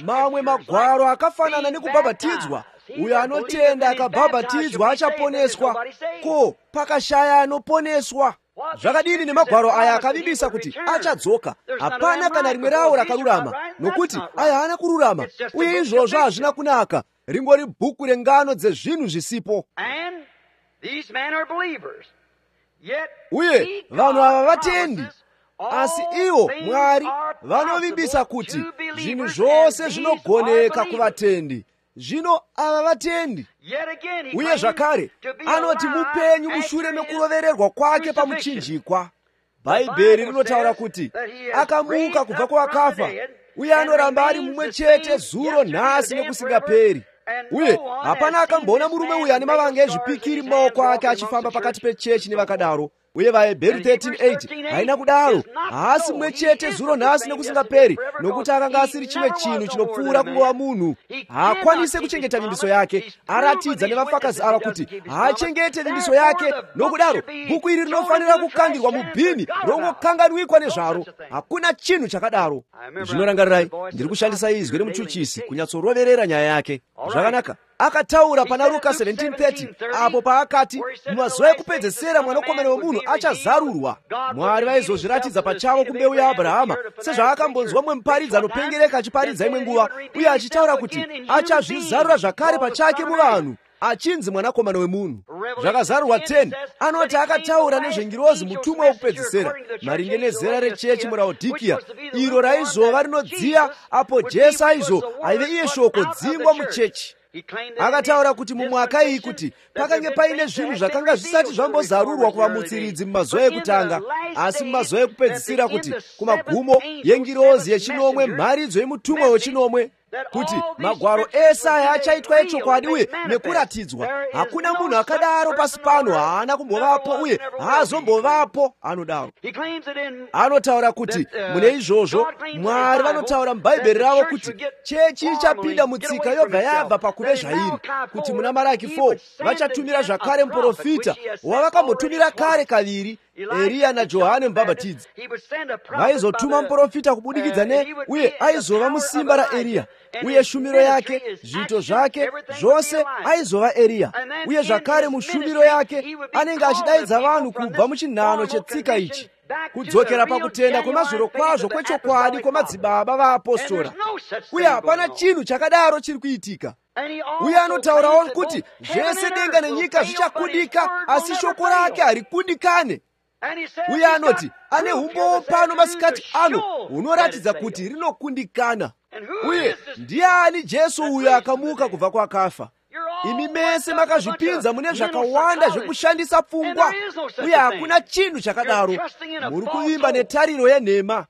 mamwe magwaro akafanana nekubhabhatidzwa, uyo anotenda akabhabhatidzwa achaponeswa, ko pakashaya anoponeswa. Zvakadini nemagwaro aya akavimbisa kuti achadzoka? Hapana kana rimwe rawo rakarurama, nokuti aya haana kururama, uye izvozvo hazvina kunaka. Ringori bhuku rengano dzezvinhu zvisipo. Uye vanhu ava vatendi, asi iwo Mwari vanovimbisa kuti zvinhu zvose zvinogoneka kuvatendi. Zvino ava vatendi. Uye zvakare anoti mupenyu mushure mekurovererwa kwake pamuchinjikwa. Bhaibheri rinotaura kuti akamuka kubva kuvakafa, uye anoramba ari mumwe chete zuro nhasi nekusingaperi. Uye hapana akamboona murume uyu ane mavanga ezvipikiri mumaoko ake achifamba pakati pechechi nevakadaro. Uye vaHebheru thirteen eight haina kudaro. Haasi mumwe chete zuro nhasi nekusingaperi, nokuti akanga asiri chimwe chinhu chinopfuura kungova munhu. Haakwanise kuchengeta vimbiso yake. Aratidza nevafakazi ava kuti haachengete vimbiso yake. Nokudaro bhuku iri rinofanira kukangirwa mubhini rongokanganwikwa nezvaro. Hakuna chinhu chakadaro. Zvinorangarirai, ndiri kushandisa izwi remuchuchisi kunyatsoroverera nyaya yake. Zvakanaka. Akataura pana Luka seventeen thirty apo paakati mumazuva ekupedzesera mwanakomana wemunhu achazarurwa. Mwari vaizozviratidza pachavo kumbeu yaAbhurahama, sezvaakambonzwa mumwe muparidzi anopengereka achiparidza imwe nguva, uye achitaura kuti achazvizarura zvakare pachake muvanhu, achinzi mwanakomana wemunhu. Zvakazarurwa ten anoti akataura nezvengirozi mutumwa wokupedzisira, maringe nezera rechechi muRaodhikiya, iro raizova rinodziya apo Jesu aizo aive iye shoko dzingwa muchechi. Akataura kuti mumwaka iyi kuti pakange paine zvinhu zvakanga zvisati zvambozarurwa kuvamutsiridzi mumazuva ekutanga, asi mumazuva ekupedzisira kuti kumagumo yengirozi yechinomwe, mharidzo yemutumwa wechinomwe, kuti magwaro ese aya achaitwa echokwadi uye nekuratidzwa. Hakuna munhu akadaro pasi pano, haana kumbovapo uye haazombovapo anodaro. Anotaura kuti mune izvozvo Mwari vanotaura mubhaibheri ravo kuti chechi ichapinda mutsika yobva yabva pakuve zvairi, kuti muna Maraki four vachatumira zvakare muprofita wavakambotumira kare kaviri, Eriya naJohane mubhabhatidzi. Vaizotuma muprofita kubudikidza ne, uye aizova musimba raEriya, uye shumiro yake, zviito zvake zvose aizova Eriya. Uye zvakare mushumiro yake anenge achidaidza vanhu kubva muchinhano chetsika ichi kudzokera pakutenda kwemazviro kwazvo kwechokwadi kwamadzibaba vaapostora. Uye hapana chinhu chakadaro chiri kuitika. Uye anotaurawo kuti zvese denga nenyika zvichakundika, asi shoko rake harikundikane. Uye anoti ane umbowo pano masikati ano hunoratidza kuti rinokundikana. Uye ndiani Jesu uyo akamuka kubva kwakafa? Imi mese makazvipinza mune zvakawanda zvekushandisa pfungwa, uye hakuna chinhu chakadaro. Muri kuvimba netariro yenhema.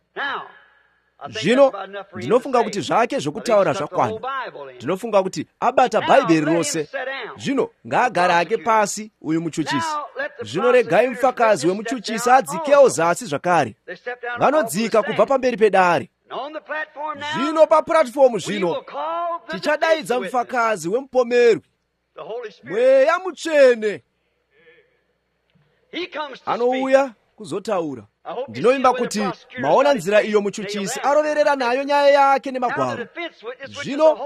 Zvino ndinofunga kuti zvake zvokutaura zvakwana. Ndinofunga kuti abata Bhaibheri rose. Zvino ngaagare hake pasi uyu muchuchisi. Zvino regai mufakazi wemuchuchisi adzikewo zasi zvakare. Vanodzika kubva pamberi pedare. Zvino papuratifomu zvino tichadaidza mufakazi wemupomerwi, Mweya Mutsvene. Anouya kuzotaura. Ndinoimba kuti maona nzira iyo muchuchisi aroverera nayo nyaya yake nemagwaro. Zvino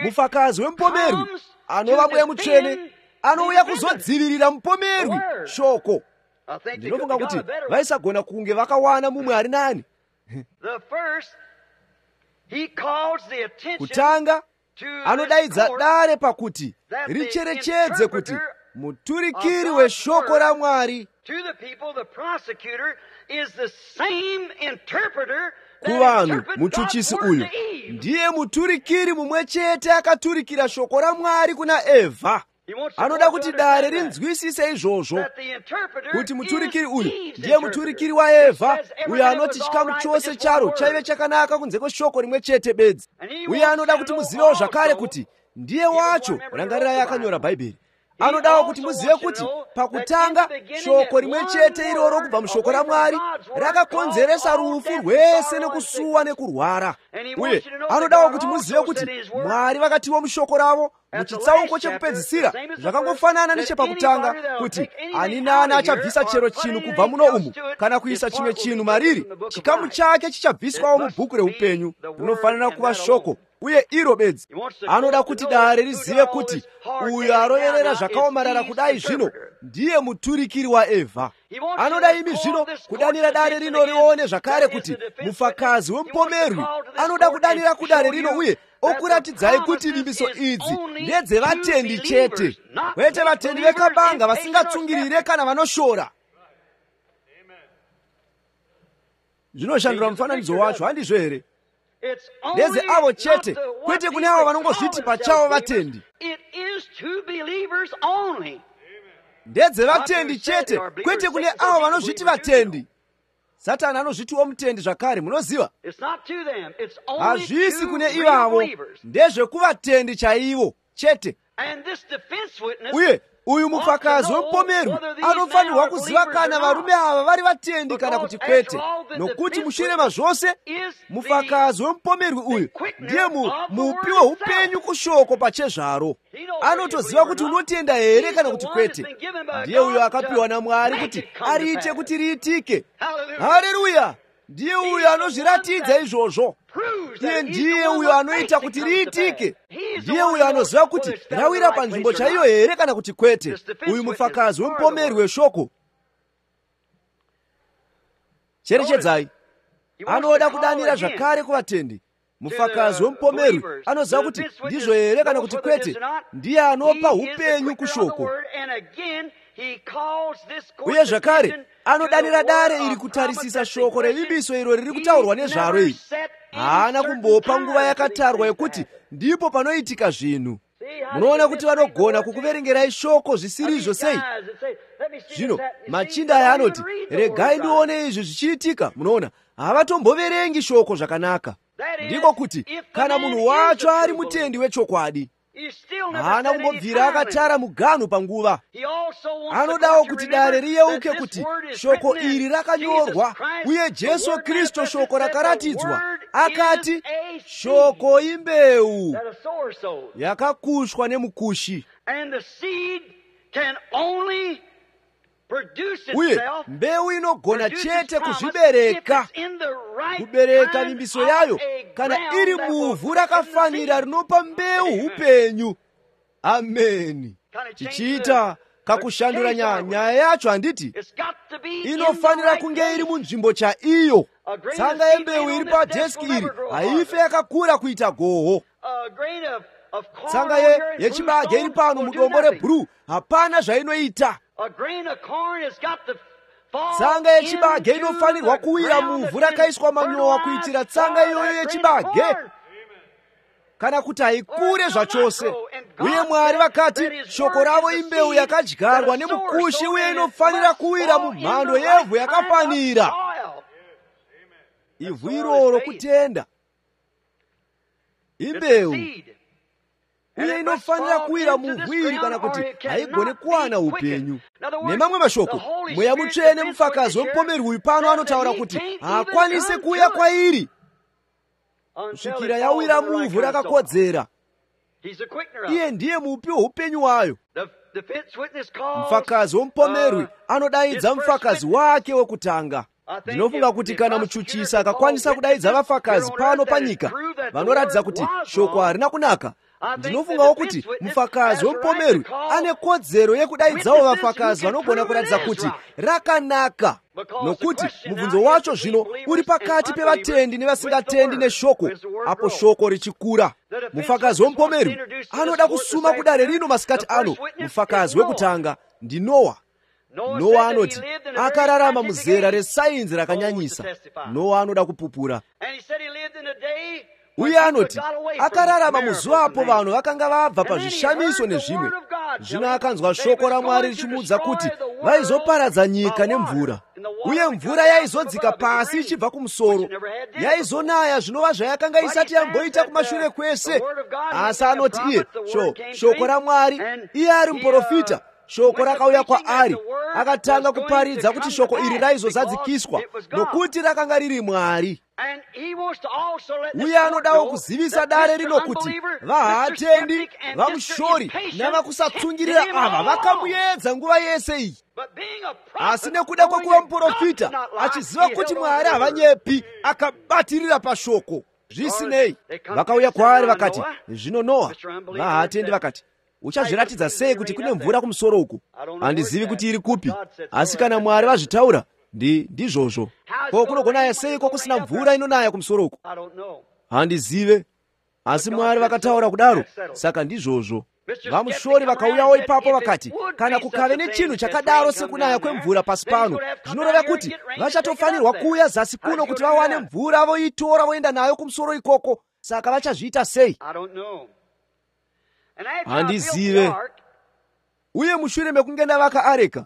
mufakazi wemupomerwi anova Mweya Mutsvene anouya kuzodzivirira mpomerwi shoko. Ndinofunga kuti vaisagona kunge vakawana mumwe ari nani. Kutanga anodaidza dare pakuti richerechedze kuti muturikiri weshoko ra Mwari kuvanhu muchuchisi uyu ndiye muturikiri mumwe chete akaturikira shoko ra Mwari kuna Evha. Anoda kuti dare rinzwisise izvozvo kuti muturikiri uyu ndiye muturikiri wa Evha, uyo anoti chikamu chose charo chaive chakanaka kunze kweshoko rimwe chete bedzi. Uye anoda kuti muzivewo zvakare kuti ndiye wacho. Rangarirai akanyora Bhaibheri. Anodawo kuti muzive kuti pakutanga shoko rimwe chete iroro kubva mushoko ra Mwari rakakonzeresa rufu rwese nekusuwa nekurwara. Uye anodawo kuti muzive kuti Mwari vakatiwo mushoko ravo muchitsauko chekupedzisira zvakangofanana nechepakutanga, kuti ani nani achabvisa chero chinhu kubva muno umu kana kuisa chimwe chinhu mariri, chikamu chake chichabviswawo mubhuku reupenyu. Rinofanira kuva shoko, uye iro bedzi. Anoda kuti dare rizive kuti uyo aroverera zvakaomarara kudai zvino ndiye muturikiri wa Evha. Anoda imi zvino kudanira dare rino rione zvakare kuti mufakazi wempomerwi anoda kudanira kudare rino, uye okuratidzai kuti vimbiso idzi ndedzevatendi chete, kwete vatendi vekabanga vasingatsungirire kana vanoshora. Zvinoshandura mufananidzo wacho, handizvo here? Ndeze avo chete, kwete kune avo vanongozviti pachavo vatendi. Ndedze vatendi chete, kwete kune avo vanozviti vatendi. Satani anozvitiwo mutendi zvakare, munoziva? Hazvisi kune ivavo, ndezvekuvatendi chaivo chete. Uye uyu mufakazi wempomerwi anofanirwa kuziva kana varume ava vari vatendi kana kuti kwete, nokuti mushure mazvose mufakazi wempomerwi uyu ndiye mupi weupenyu kushoko pachezvaro. Anotoziva kuti unotenda here kana kuti kwete. Ndiye uyo akapiwa naMwari kuti ariite kuti riitike. Haleluya! Ndiye uyo anozviratidza izvozvo. Iye ndiye uyo anoita kuti riitike. Ndiye uyo anoziva kuti rawira panzvimbo chaiyo here kana kuti kwete. Uyu mufakazi wempomerwi weshoko. Cherechedzai, anoda kudanira zvakare kuvatendi. Mufakazi wempomerwi anoziva kuti ndizvo here kana kuti kwete. Ndiye anopa upenyu kushoko. Uye zvakare anodanira dare iri kutarisisa shoko revimbiso iro riri kutaurwa nezvaro iri. Haana kumbopa nguva yakatarwa yekuti ndipo panoitika zvinhu. Munoona kuti vanogona kukuverengerai shoko zvisirizvo sei? Zvino machinda aya anoti, regai ndione izvi zvichiitika. Munoona, havatomboverengi shoko zvakanaka. Ndiko kuti kana munhu wacho ari mutendi wechokwadi, haana kumbobvira akatara muganhu panguva. Anodawo kuti dare riyeuke kuti shoko iri rakanyorwa, uye Jesu Kristu shoko rakaratidzwa. Akati shoko imbeu yakakushwa nemukushi. Uye mbeu inogona chete kuzvibereka, kubereka mimbiso yayo kana iri muvhu rakafanira rinopa mbeu upenyu. Ameni. Chichiita kakushandura nyaya yacho, handiti inofanira kunge iri munzvimbo chaiyo. Tsanga yembeu iri padheski iri haife yakakura kuita goho. Tsanga ye yechibage iri pano mudombo rebhuruu hapana zvainoita. Tsanga yechibage inofanirwa kuwira muvhu rakaiswa manyowa kuitira tsanga iyoyo yechibage kana kuti haikure zvachose. Uye Mwari vakati shoko ravo imbeu yakadyarwa nemukushi, uye inofanira kuwira mumhando yevhu yakafanira. Ivhu iroro kutenda, imbeu, uye inofanira kuwira muvhu iri kana kuti haigone kuwana upenyu. Nemamwe mashoko, Mweya Mutsvene mufakazi wempomerwi uyu pano anotaura kuti haakwanise kuuya kwairi kusvikira yawira muvhu rakakodzera. Iye ndiye mupi weupenyu wayo. Mufakazi wempomerwi anodaidza mufakazi wake wekutanga. Ndinofunga kuti kana muchuchisi akakwanisa kudaidza vafakazi pano panyika vanoratidza kuti shoko harina kunaka, ndinofungawo kuti mfakazi wempomeru ane kodzero yekudaidzawo vafakazi vanogona kuratidza kuti rakanaka, nokuti mubvunzo wacho zvino uri pakati pevatendi nevasingatendi neshoko, apo shoko richikura. Mufakazi wempomeru anoda kusuma kudare rino masikati ano. Mufakazi wekutanga ndi Nowa. Nowa anoti akararama muzera resainzi rakanyanyisa. Nowa anoda kupupura. Uye anoti akararama muzuva apo vanhu vakanga vabva pazvishamiso nezvimwe. Zvino akanzwa shoko raMwari richimuudza kuti vaizoparadza nyika nemvura, uye mvura yaizodzika pasi ichibva kumusoro, yaizonaya zvinova zvayakanga isati yamboita kumashure kwese. Asi anoti iye sho shoko raMwari, iye ari muprofita, shoko rakauya kwaari, akatanga kuparidza kuti shoko iri raizozadzikiswa nokuti rakanga riri Mwari. Uye anodawo kuzivisa dare rino kuti vahatendi, vamushori navakusatsungirira ava vakamuedza nguva yese iyi. Asi nekuda kwokuva muprofita, achiziva kuti Mwari havanyepi, akabatirira pashoko. Zvisinei, vakauya kwaari vakati, zvino Noa, vahatendi vakati, uchazviratidza sei kuti kune mvura kumusoro uku? Handizivi kuti iri kupi, asi kana Mwari vazvitaura ndi ndizvozvo. Ko kunogonaya seiko kusina mvura inonaya kumusoro uku? Handizive, asi Mwari vakataura kudaro, saka ndizvozvo. Vamushori vakauyawo ipapo vakati, kana kukave nechinhu chakadaro sekunaya kwemvura pasi pano, zvinoreva kuti vachatofanirwa kuuya zasi kuno kuti vawane mvura voitora voenda nayo kumusoro ikoko. Saka vachazviita sei? Handizive. Uye mushure mekunge ndavaka areka,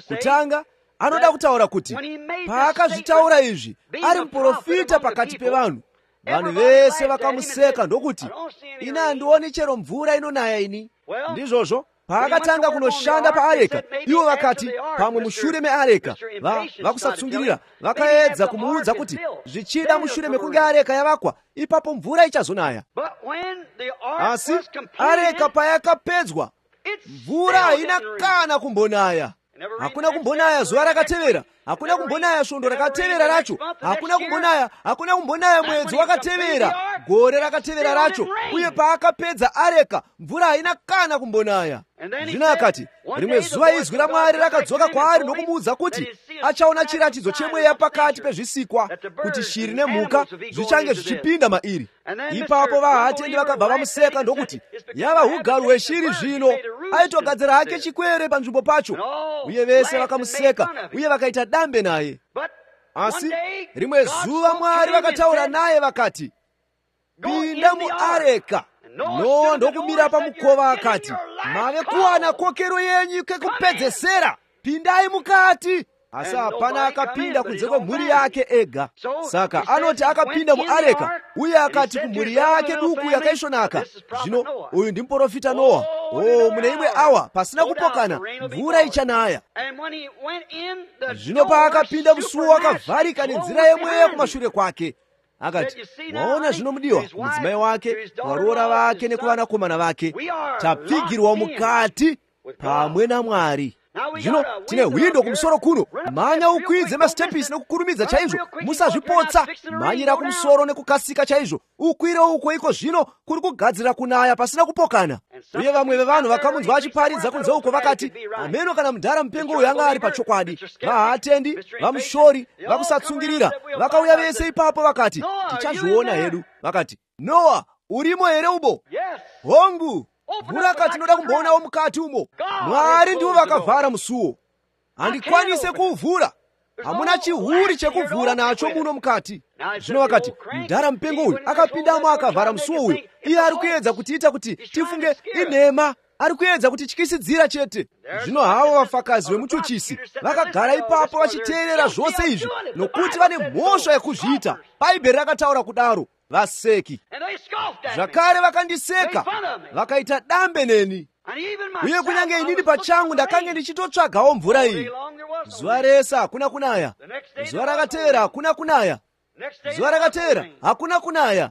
kutanga anoda kutaura kuti paakazvitaura izvi ari muprofita pakati pevanhu, vanhu vese vakamuseka ndokuti, ine handioni chero mvura inonaya ini. Ndizvozvo paakatanga kunoshanda paareka, ivo vakati pamwe mushure meareka vakusatsungirira vakaedza kumuudza kuti zvichida mushure mekunge areka yavakwa ipapo mvura ichazonaya. Asi areka payakapedzwa, mvura haina kana kumbonaya. Hakuna kumbonaya zuva rakatevera, hakuna kumbonaya svondo rakatevera racho, hakuna kumbonaya, hakuna kumbonaya mwedzi wakatevera, gore rakatevera racho. Uye paakapedza areka, mvura haina kana kumbonaya. Zvino akati rimwe zuva izwi raMwari rakadzoka kwaari nokumuudza kuti achaona chiratidzo chemweya pakati pezvisikwa, kuti shiri nemhuka zvichange zvichipinda mairi. Ipapo vahatendi vakabva vamuseka ndokuti, yava ugaro hweshiri zvino, aitogadzira hake chikwere panzvimbo pacho. Uye vese vakamuseka uye vakaita dambe naye. Asi rimwe zuva Mwari vakataura naye vakati, pinda muareka. Noa ndokumira pamukova akati, mave kuwana kokero yenyu kekupedzesera, pindai mukati. Asi hapana akapinda kunze kwemhuri yake ega. Saka anoti akapinda muareka, uye akati kumhuri yake duku yakaisvonaka, zvino uyu ndimuprofita Noa. Oh, mune imwe awa pasina kupokana mvura ichanaya. Zvino paakapinda musuo wakavharika nenzira yemweya kumashure kwake. Akati, waona zvino mudiwa, mudzimai wake, varoora vake nekuvanakomana vake, tapfigirwa mukati pamwe naMwari. Zvino tine hwindo kumusoro kuno, manya ukwidze masitepisi nekukurumidza chaizvo, musazvipotsa, manyira kumusoro nekukasika chaizvo, ukwire uko iko zvino kuri kugadzira kunaya pasina kupokana. Uye vamwe vevanhu vakamunzwa achiparidza kunze uko vakati, ameno kana mudhara mupengo uyu anga ari pachokwadi. Vahatendi, vamushori, vakusatsungirira vakauya vese ipapo vakati, tichazviona hedu. Vakati, Noa, urimo here ubo? Hongu. Mvura akati noda kumboonawo mukati umo. Mwari ndiwo vakavhara musuo, handikwanise kuuvhura, hamuna chihuri chekuvhura nacho muno mukati. Zvino vakati, mudhara mupengo uyu akapindamo akavhara musuo uyu. Iye ari kuedza kutiita kuti tifunge inhema, ari kuedza kutityisidzira chete. Zvino havo vafakazi vemuchochisi vakagara ipapo vachiteerera zvose izvi, nokuti vane mhosva yekuzviita. Bhaibheri rakataura kudaro. Vaseki zvakare vakandiseka, vakaita dambe neni. Uye kunyange inini pachangu ndakange ndichitotsvagawo mvura iyi. Zuva rese hakuna kunaya, zuva rakatevera hakuna kunaya, zuva rakatevera hakuna kunaya,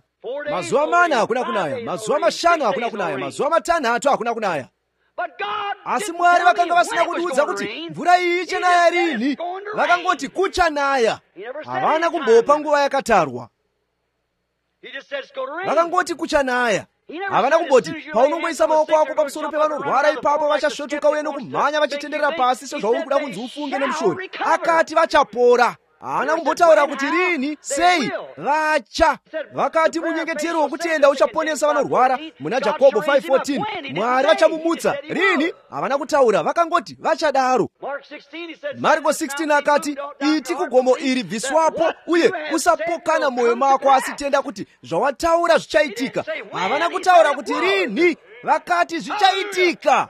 mazuva mana hakuna kunaya, mazuva mashanu hakuna kunaya, mazuva matanhatu hakuna kunaya. Asi Mwari vakanga vasina kundiudza kuti mvura iyi ichanaya rini. Vakangoti kuchanaya, havana kumbopa nguva yakatarwa. Vakangoti kuchanaya. havana kumboti paunongoisa maoko ako pamusoro pevanorwara ipapo vachasvotuka uye nokumhanya vachitenderera pasi sezvauri kuda kunzi ufunge nemushori. Akati vachapora. Haana kumbotaura kuti rini, sei, vacha. Vakati munyengetero wokutenda uchaponesa vanorwara muna Jakobho five fourteen, Mwari vachamumutsa rini. Havana kutaura, vakangoti vachadaro. Marko sixteen akati iti kugomo iri bviswapo uye usapokana mwoyo mako asi tenda kuti zvawataura zvichaitika. Havana kutaura kuti rini, vakati zvichaitika.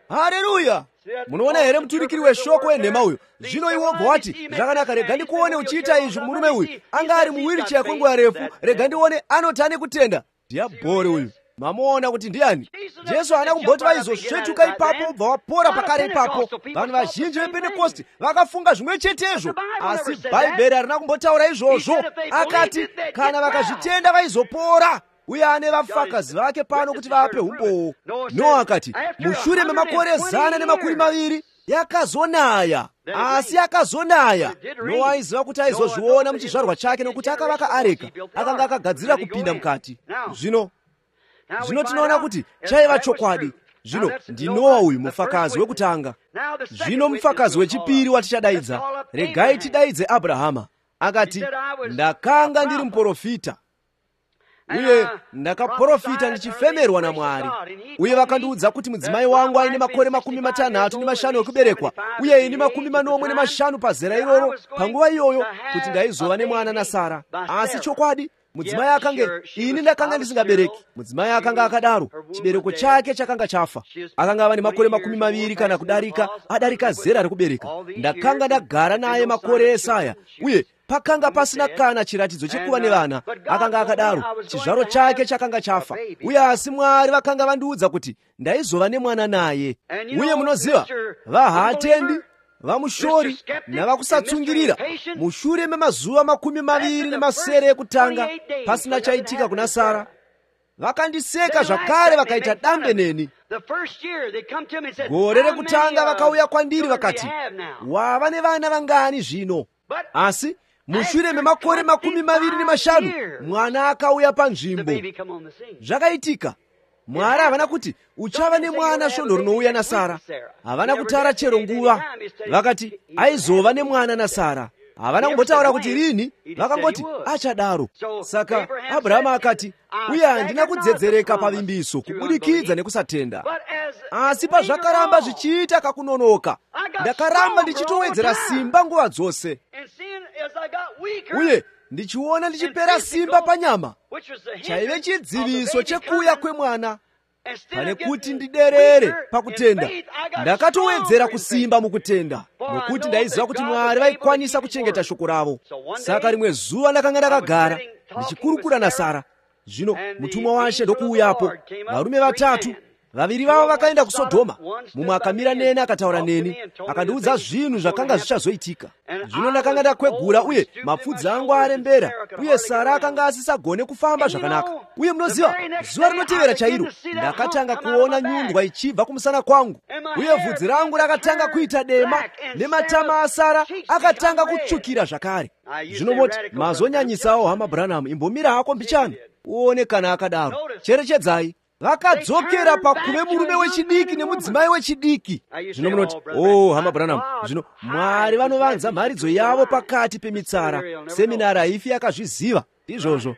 Haleluya. Munoona here muturikiri weshoko wenhema uyu. Zvino iwo obva wati zvakanaka, rega ndikuone uchiita izvi. Murume uyu anga ari muwheelchair kwenguva refu, rega ndione anotane kutenda. Dhiabhori uyu, mamuona kuti ndiani? Jesu haana kumboti vaizosvetuka ipapo obva wapora pakare ipapo. Vanhu vazhinji vePentekosti vakafunga zvimwe chetezvo, asi Bhaibheri harina kumbotaura izvozvo. Akati kana vakazvitenda vaizopora. Uye ane vafakazi vake pano kuti vape umbowo. Noa akati mushure memakore zana nemakumi maviri yakazonaya. Asi yakazonaya. Noa aiziva kuti aizozviona muchizvarwa chake nokuti akavaka areka, akanga akagadzirira kupinda mukati. Zvino zvino tinoona kuti chaiva chokwadi. Zvino ndi Noa uyu mufakazi wekutanga. Zvino mufakazi wechipiri watichadaidza, regai tidaidze Abrahama. Akati ndakanga ndiri muprofita uye ndakaprofita ndichifemerwa naMwari, uye vakandiudza kuti mudzimai wangu aine makore makumi matanhatu nemashanu ekuberekwa, uye ini makumi manomwe nemashanu pazera iroro panguva iyoyo, kuti ndaizova nemwana naSara. Asi chokwadi mudzimai akange ini ndakanga ndisingabereki. Mudzimai akanga akadaro, chibereko chake chakanga chafa. Akanga ava nemakore makumi maviri kana kudarika, adarika zera rekubereka. Ndakanga ndagara naye makore esaya, uye pakanga pasina kana chiratidzo chekuva nevana. Akanga akadaro, chizvaro chake chakanga chafa, uye asi Mwari vakanga vandiudza kuti ndaizova nemwana naye. Uye munoziva, vahatendi, vamushori navakusatsungirira, mushure memazuva makumi maviri nemasere ekutanga pasina chaitika kuna Sara, vakandiseka zvakare vakaita dambe neni. Gore rekutanga vakauya kwandiri vakati, wava nevana vangani zvino? Asi mushure memakore makumi maviri nemashanu mwana akauya panzvimbo. Zvakaitika. Mwari havana kuti uchava nemwana svondo rinouya naSara. Havana kutara chero nguva. Vakati aizova nemwana naSara. Havana kumbotaura kuti rini, vakangoti achadaro. Saka Abrahama akati, uye handina kudzedzereka pavimbiso kubudikidza nekusatenda. Asi pazvakaramba zvichiita kakunonoka, ndakaramba ndichitowedzera simba nguva dzose. Uye ndichiona ndichipera simba panyama, chaive chidziviso chekuuya kwemwana. Pane kuti ndiderere pakutenda, ndakatowedzera kusimba mukutenda, nokuti ndaiziva kuti Mwari vaikwanisa kuchengeta shoko ravo. Saka rimwe zuva ndakanga ndakagara ndichikurukura naSara. Zvino mutumwa waShe ndokuuyapo, varume vatatu. Vaviri vavo vakaenda kuSodhoma. Mumwe akamira neni akataura neni, akandiudza zvinhu zvakanga zvichazoitika. Zvino ndakanga ndakwegura, uye mapfudzi angu arembera, uye Sara akanga asisagone kufamba zvakanaka. Uye munoziva, zuva rinotevera chairo ndakatanga kuona nyundwa ichibva kumusana kwangu, uye vhudzi rangu rakatanga kuita dema, nematama aSara akatanga kutsvukira zvakare. Zvino moti mazonyanyisawo hama Branham, imbomira hako mbichana uone kana akadaro. Cherechedzai, vakadzokera pakuve murume wechidiki nemudzimai wechidiki. Zvino munoti, oh hama Branham, zvino Mwari vanovanza mharidzo yavo pakati pemitsara. Seminari haifi yakazviziva izvozvo.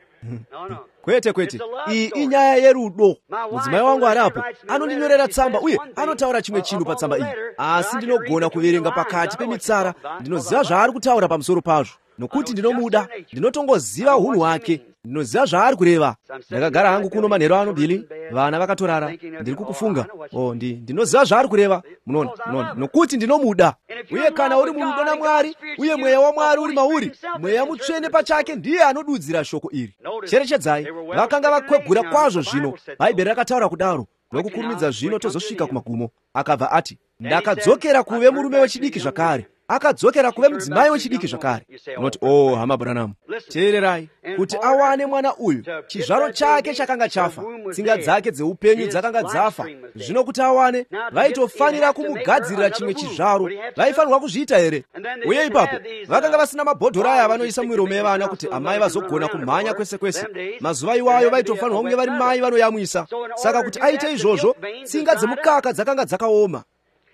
Kwete kwete, iyi inyaya yerudo. Mudzimai wangu arapo, anondinyorera tsamba uye anotaura chimwe chinhu patsamba iyi, asi ndinogona kuverenga pakati pemitsara. Ndinoziva zvaari kutaura pamusoro pazvo, nokuti ndinomuda, ndinotongoziva unhu hwake, ndinoziva zvaari kureva. Ndakagara hangu kuno manheru ano Billy, vana vakatorara, ndiri kukufunga. Oh, ndi ndinoziva zvaari kureva, munoona, munoona, nokuti ndinomuda. Uye kana uri murudo naMwari, uye mweya waMwari uri mauri, mweya mutsvene pachake ndiye anodudzira shoko iri. Cherechedzai, vakanga vakwegura kwazvo. Zvino Bhaibheri rakataura kudaro, nokukurumidza zvino tozosvika kumagumo. Akabva ati, ndakadzokera kuve murume wechidiki zvakare, akadzokera kuve mudzimai wechidiki zvakare. Unoti, oh hama Branham, teererai, kuti awane mwana uyu, chizvaro chake chakanga chafa, tsinga dzake dzeupenyu dzakanga dzafa. Zvino kuti awane, vaitofanira kumugadzirira chimwe chizvaro. Vaifanirwa kuzviita here? Uye ipapo vakanga vasina mabhodhoro aya vanoisa mumiromo yevana kuti amai vazogona kumhanya kwese kwese. Mazuva iwayo vaitofanirwa kunge vari mai vanoyamwisa. Saka kuti aite izvozvo, tsinga dzemukaka dzakanga dzakaoma.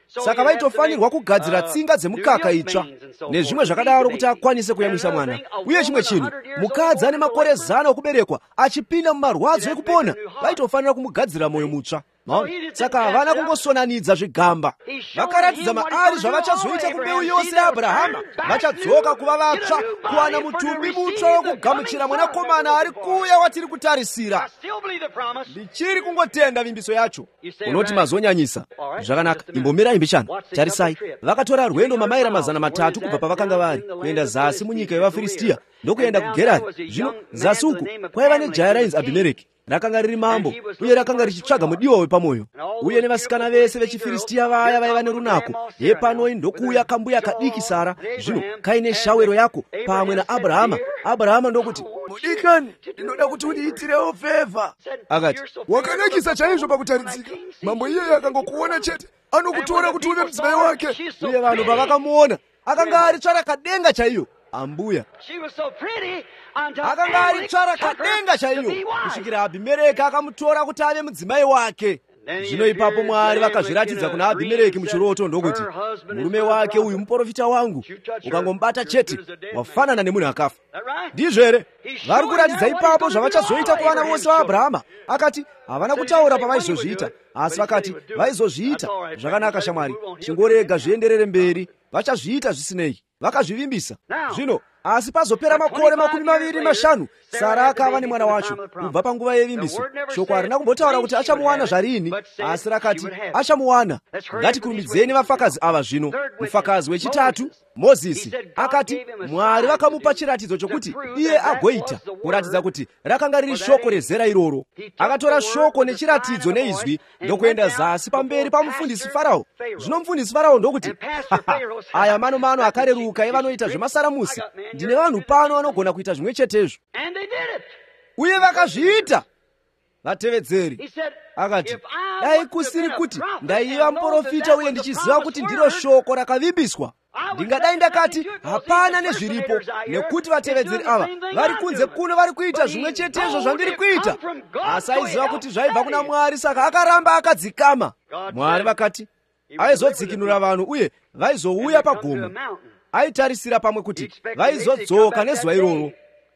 Saka vaitofanirwa kugadzira tsinga dzemukaka itsva nezvimwe zvakadaro kuti akwanise kuyamwisa mwana. Uye chimwe chinhu, mukadzi ane makore zana okuberekwa achipinda mumarwadzo ekupona, vaitofanira kumugadzira moyo mutsva. Saka havana kungosonanidza zvigamba. Vakaratidza maari zvavachazoita kumbeu yose yaAbhurahama. Vachadzoka kuva vatsva, kuwana mutumbi mutsva wokugamuchira mwanakomana ari kuuya watiri kutarisira. Ndichiri kungotenda vimbiso yacho. Unoti mazonyanyisa. Zvakanaka, imbomirai mbichana. Tarisai, vakatora rwendo mamaira mazana matatu kubva pavakanga vari kuenda zasi munyika yevaFiristia ndokuenda kuGerari. Zvino zasi uku kwaiva nejaya rainzi Abhimereki. Rakanga riri mambo uye rakanga richitsvaga mudiwa wepamwoyo. Uye nevasikana vese vechiFiristia vaya vaiva nerunako. Yepanoi ndokuuya kambuya kadiki Sara, zvino kaine shawero yako pamwe naAbhurahama. Abhurahama ndokuti, mudikani, ndinoda kuti undiitirewo fevha. Akati, wakanakisa chaizvo pakutaridzika. Mambo iyeyo akangokuona chete, anokutora kuti uve mudzimai wake. Uye vanhu pavakamuona, akanga ari tsvara kadenga chaiyo. Ambuya akanga ari tsvara kadenga chaiyo, kusvikira Abhimereki akamutora kuti ave mudzimai wake. Zvino ipapo Mwari vakazviratidza kuna Abhimereki muchiroto ndokuti, murume wake uyu muprofita wangu, ukangomubata chete wafanana nemunhu akafa. Ndizvo here? Vari kuratidza ipapo zvavachazoita kuvana vose vaAbhurahama. Akati havana kutaura pavaizozviita, asi vakati vaizozviita. Zvakanaka shamwari, chingorega zvienderere mberi, vachazviita zvisinei. Vakazvivimbisa. Zvino asi pazopera makore makumi maviri mashanu, Sara akava nemwana wacho. Kubva panguva yevimbiso, shoko harina kumbotaura kuti achamuwana zvarini, asi rakati achamuwana. Ngatikurumbidzeni vafakazi ava zvino. Mufakazi wechitatu, Mozisi, akati Mwari vakamupa chiratidzo chokuti iye agoita, kuratidza kuti rakanga riri shoko rezera iroro. Akatora shoko nechiratidzo neizwi ndokuenda zasi pamberi pamufundisi Farao. Zvino mufundisi Farao ndokuti, aya mano mano akareruka evanoita zvemasaramusi. Ndine vanhu pano vanogona kuita zvimwe chetezvo. Uye vakazviita. Vatevedzeri. Akati, dai kusiri kuti ndaiva muprofita uye ndichiziva kuti ndiro shoko rakavimbiswa, ndingadai ndakati hapana nezviripo, nekuti vatevedzeri ava vari kunze kuno vari kuita zvimwe chetezvo zvandiri kuita. Asi aiziva kuti zvaibva kuna Mwari, saka akaramba akadzikama. Mwari vakati aizodzikinura vanhu uye vaizouya pagomo. Aitarisira pamwe kuti vaizodzoka nezuva iroro.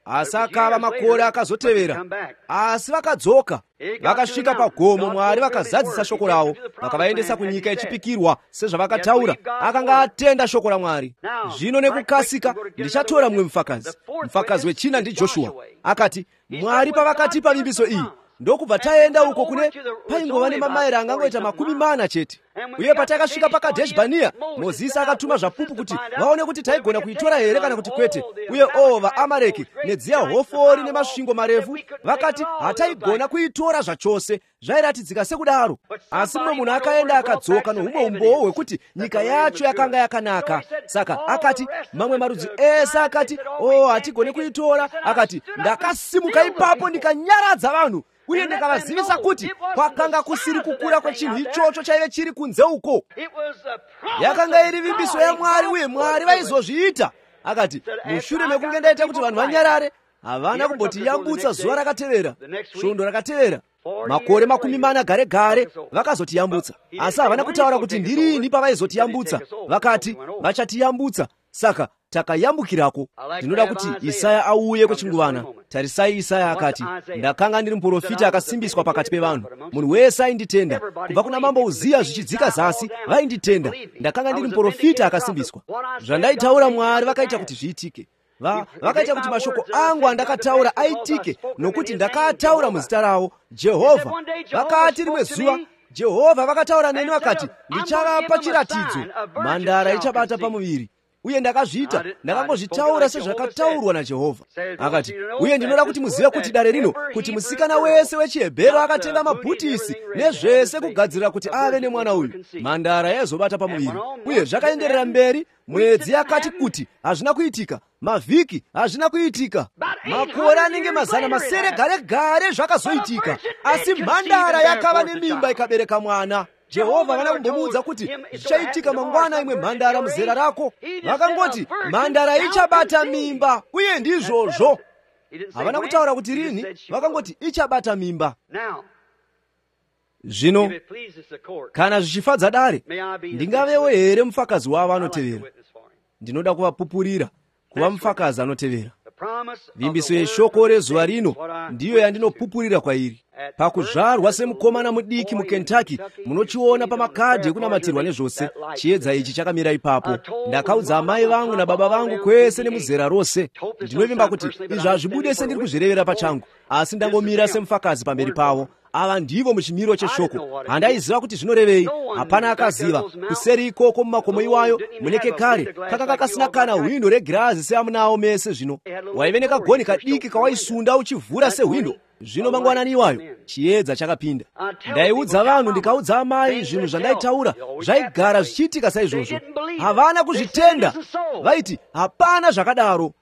Asi akava makore akazotevera, asi vakadzoka vakasvika pagomo. Mwari vakazadzisa shoko ravo, vakavaendesa kunyika yechipikirwa sezvavakataura. Akanga atenda shoko raMwari. Zvino nekukasika ndichatora mumwe mufakazi. Mufakazi wechina ndiJoshua. Akati Mwari pavakatipa vimbiso iyi, ndokubva taenda uko kune paingova nemamaira angangoita makumi mana chete. Uye patakasvika paKadheshi Bhanea, Mozisi akatuma zvapupu kuti vaone kuti taigona kuitora here kana kuti kwete. Uye o vaAmareki nedziya hofori nemasvingo marefu vakati hataigona kuitora zvachose. Zvairatidzika sekudaro. Asi mumwe munhu akaenda akadzoka nohumwe umboo hwekuti nyika yacho yakanga yakanaka. Saka akati mamwe marudzi ese akati o hatigone kuitora. Akati ndakasimuka ipapo ndikanyaradza vanhu uye ndikavazivisa kuti kwakanga kusiri kukura kwechinhu ichocho chaive chiri kunze uko. Yakanga iri vimbiso yaMwari uye Mwari vaizozviita. Akati mushure mekunge ndaita kuti vanhu vanyarare, havana kumbotiyambutsa zuva rakatevera, svondo rakatevera. Makore makumi mana gare gare vakazotiyambutsa, asi havana kutaura kuti ndirini pavaizotiyambutsa. Vakati vachatiyambutsa, saka takayambukirako. Ndinoda kuti Isaya auye kwechinguvana. Tarisai, Isaya akati, ndakanga ndiri muprofita akasimbiswa pakati pevanhu. Munhu wese ainditenda. Kubva kuna mambo Uziya zvichidzika zasi vainditenda. Ndakanga ndiri muprofita akasimbiswa. Zvandaitaura Mwari vakaita kuti zviitike. Va, vakaita kuti mashoko angu andakataura aitike, nokuti ndakataura muzita ravo, Jehovha. Vakati rimwe zuva Jehovha vakataura neni vakati, ndichavapa chiratidzo, mhandara ichabata pamuviri. uye ndakazviita, ndakangozvitaura sezvakataurwa naJehovha. Akati, uye ndinoda kuti muzive kuti dare rino, kuti musikana wese wechiHebheru akatenga mabhutisi nezvese kugadzirira kuti ave nemwana uyu, mhandara yaizobata pamuviri. Uye zvakaenderera mberi, mwedzi yakati kuti hazvina kuitika, mavhiki hazvina kuitika, makore anenge mazana masere gare gare zvakazoitika, asi mhandara yakava nemimba ikabereka mwana. Jehovha vana kumbomuudza kuti zvichaitika mangwana imwe mhandara muzera rako. Vakangoti mhandara ichabata mimba, uye ndizvozvo. Havana kutaura kuti rini, vakangoti ichabata mimba. Zvino kana zvichifadza dare, ndingavewo here mufakazi wavo anotevera. Ndinoda kuvapupurira kuva mufakazi anotevera. Vimbiso yeshoko rezuva rino ndiyo yandinopupurira kwairi. Pakuzvarwa semukomana mudiki muKentucky, munochiona pamakadhi ekunamatirwa nezvose, chiedza ichi chakamira ipapo. Ndakaudza amai vangu nababa vangu kwese nemuzera rose. Ndinovimba kuti izvi hazvibude sendiri kuzvirevera pachangu, asi ndangomira semufakazi pamberi pavo. Ava ndivo muchimiro cheshoko. Handaiziva kuti zvinorevei, hapana akaziva. Kuseri ikoko mumakomo iwayo muneke kare kakanga kasina kana hwindo regirazi seamunawo mese zvino. Waive nekagoni kadiki kawaisunda uchivhura sehwindo. Zvino mangwanani iwayo chiedza chakapinda. Ndaiudza vanhu ndikaudza amai zvinhu zvandaitaura zvaigara zvichiitika saizvozvo. Havana kuzvitenda. Vaiti hapana zvakadaro.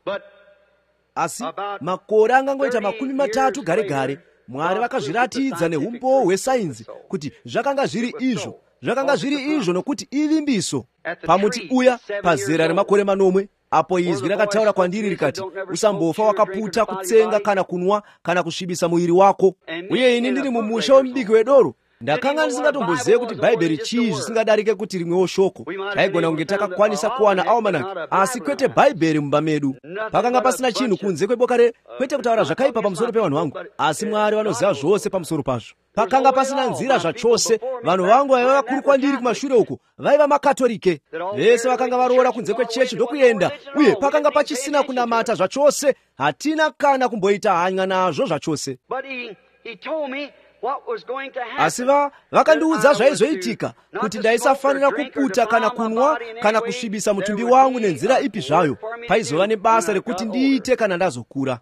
Asi makore angangoita makumi matatu gare gare, Mwari vakazviratidza neumbowo hwesainzi kuti zvakanga zviri izvo. Zvakanga zviri izvo nokuti ivimbiso. Pamuti uya pazera remakore manomwe, apo izwi rakataura kwandiri rikati, usambofa wakaputa kutsenga kana kunwa kana kusvibisa muviri wako. Uye ini ndiri mumusha womubiki wedoro, ndakanga ndisingatombozive kuti bhaibheri chii zvisingadarike kuti rimwewo shoko. Taigona kunge takakwanisa kuwana almanaki, asi kwete bhaibheri mumba medu. Pakanga pasina chinhu kunze kweboka re, kwete kutaura zvakaipa pamusoro pevanhu vangu, asi Mwari vanoziva zvose pamusoro pazvo. Pakanga pasina nzira zvachose. Vanhu vangu vaiva vakuru kwandiri kumashure uko vaiva makatolike. Vese vakanga varoora kunze kwechechi ndokuyenda, uye pakanga pachisina kunamata zvachose. Hatina kana kumboita hanya nazvo zvachose. Asi vakandiudza zvaizoitika, kuti ndaisafanira kuputa kana kunwa kana kusvibisa mutumbi wangu nenzira ipi zvayo. Paizova nebasa rekuti ndiite kana ndazokura.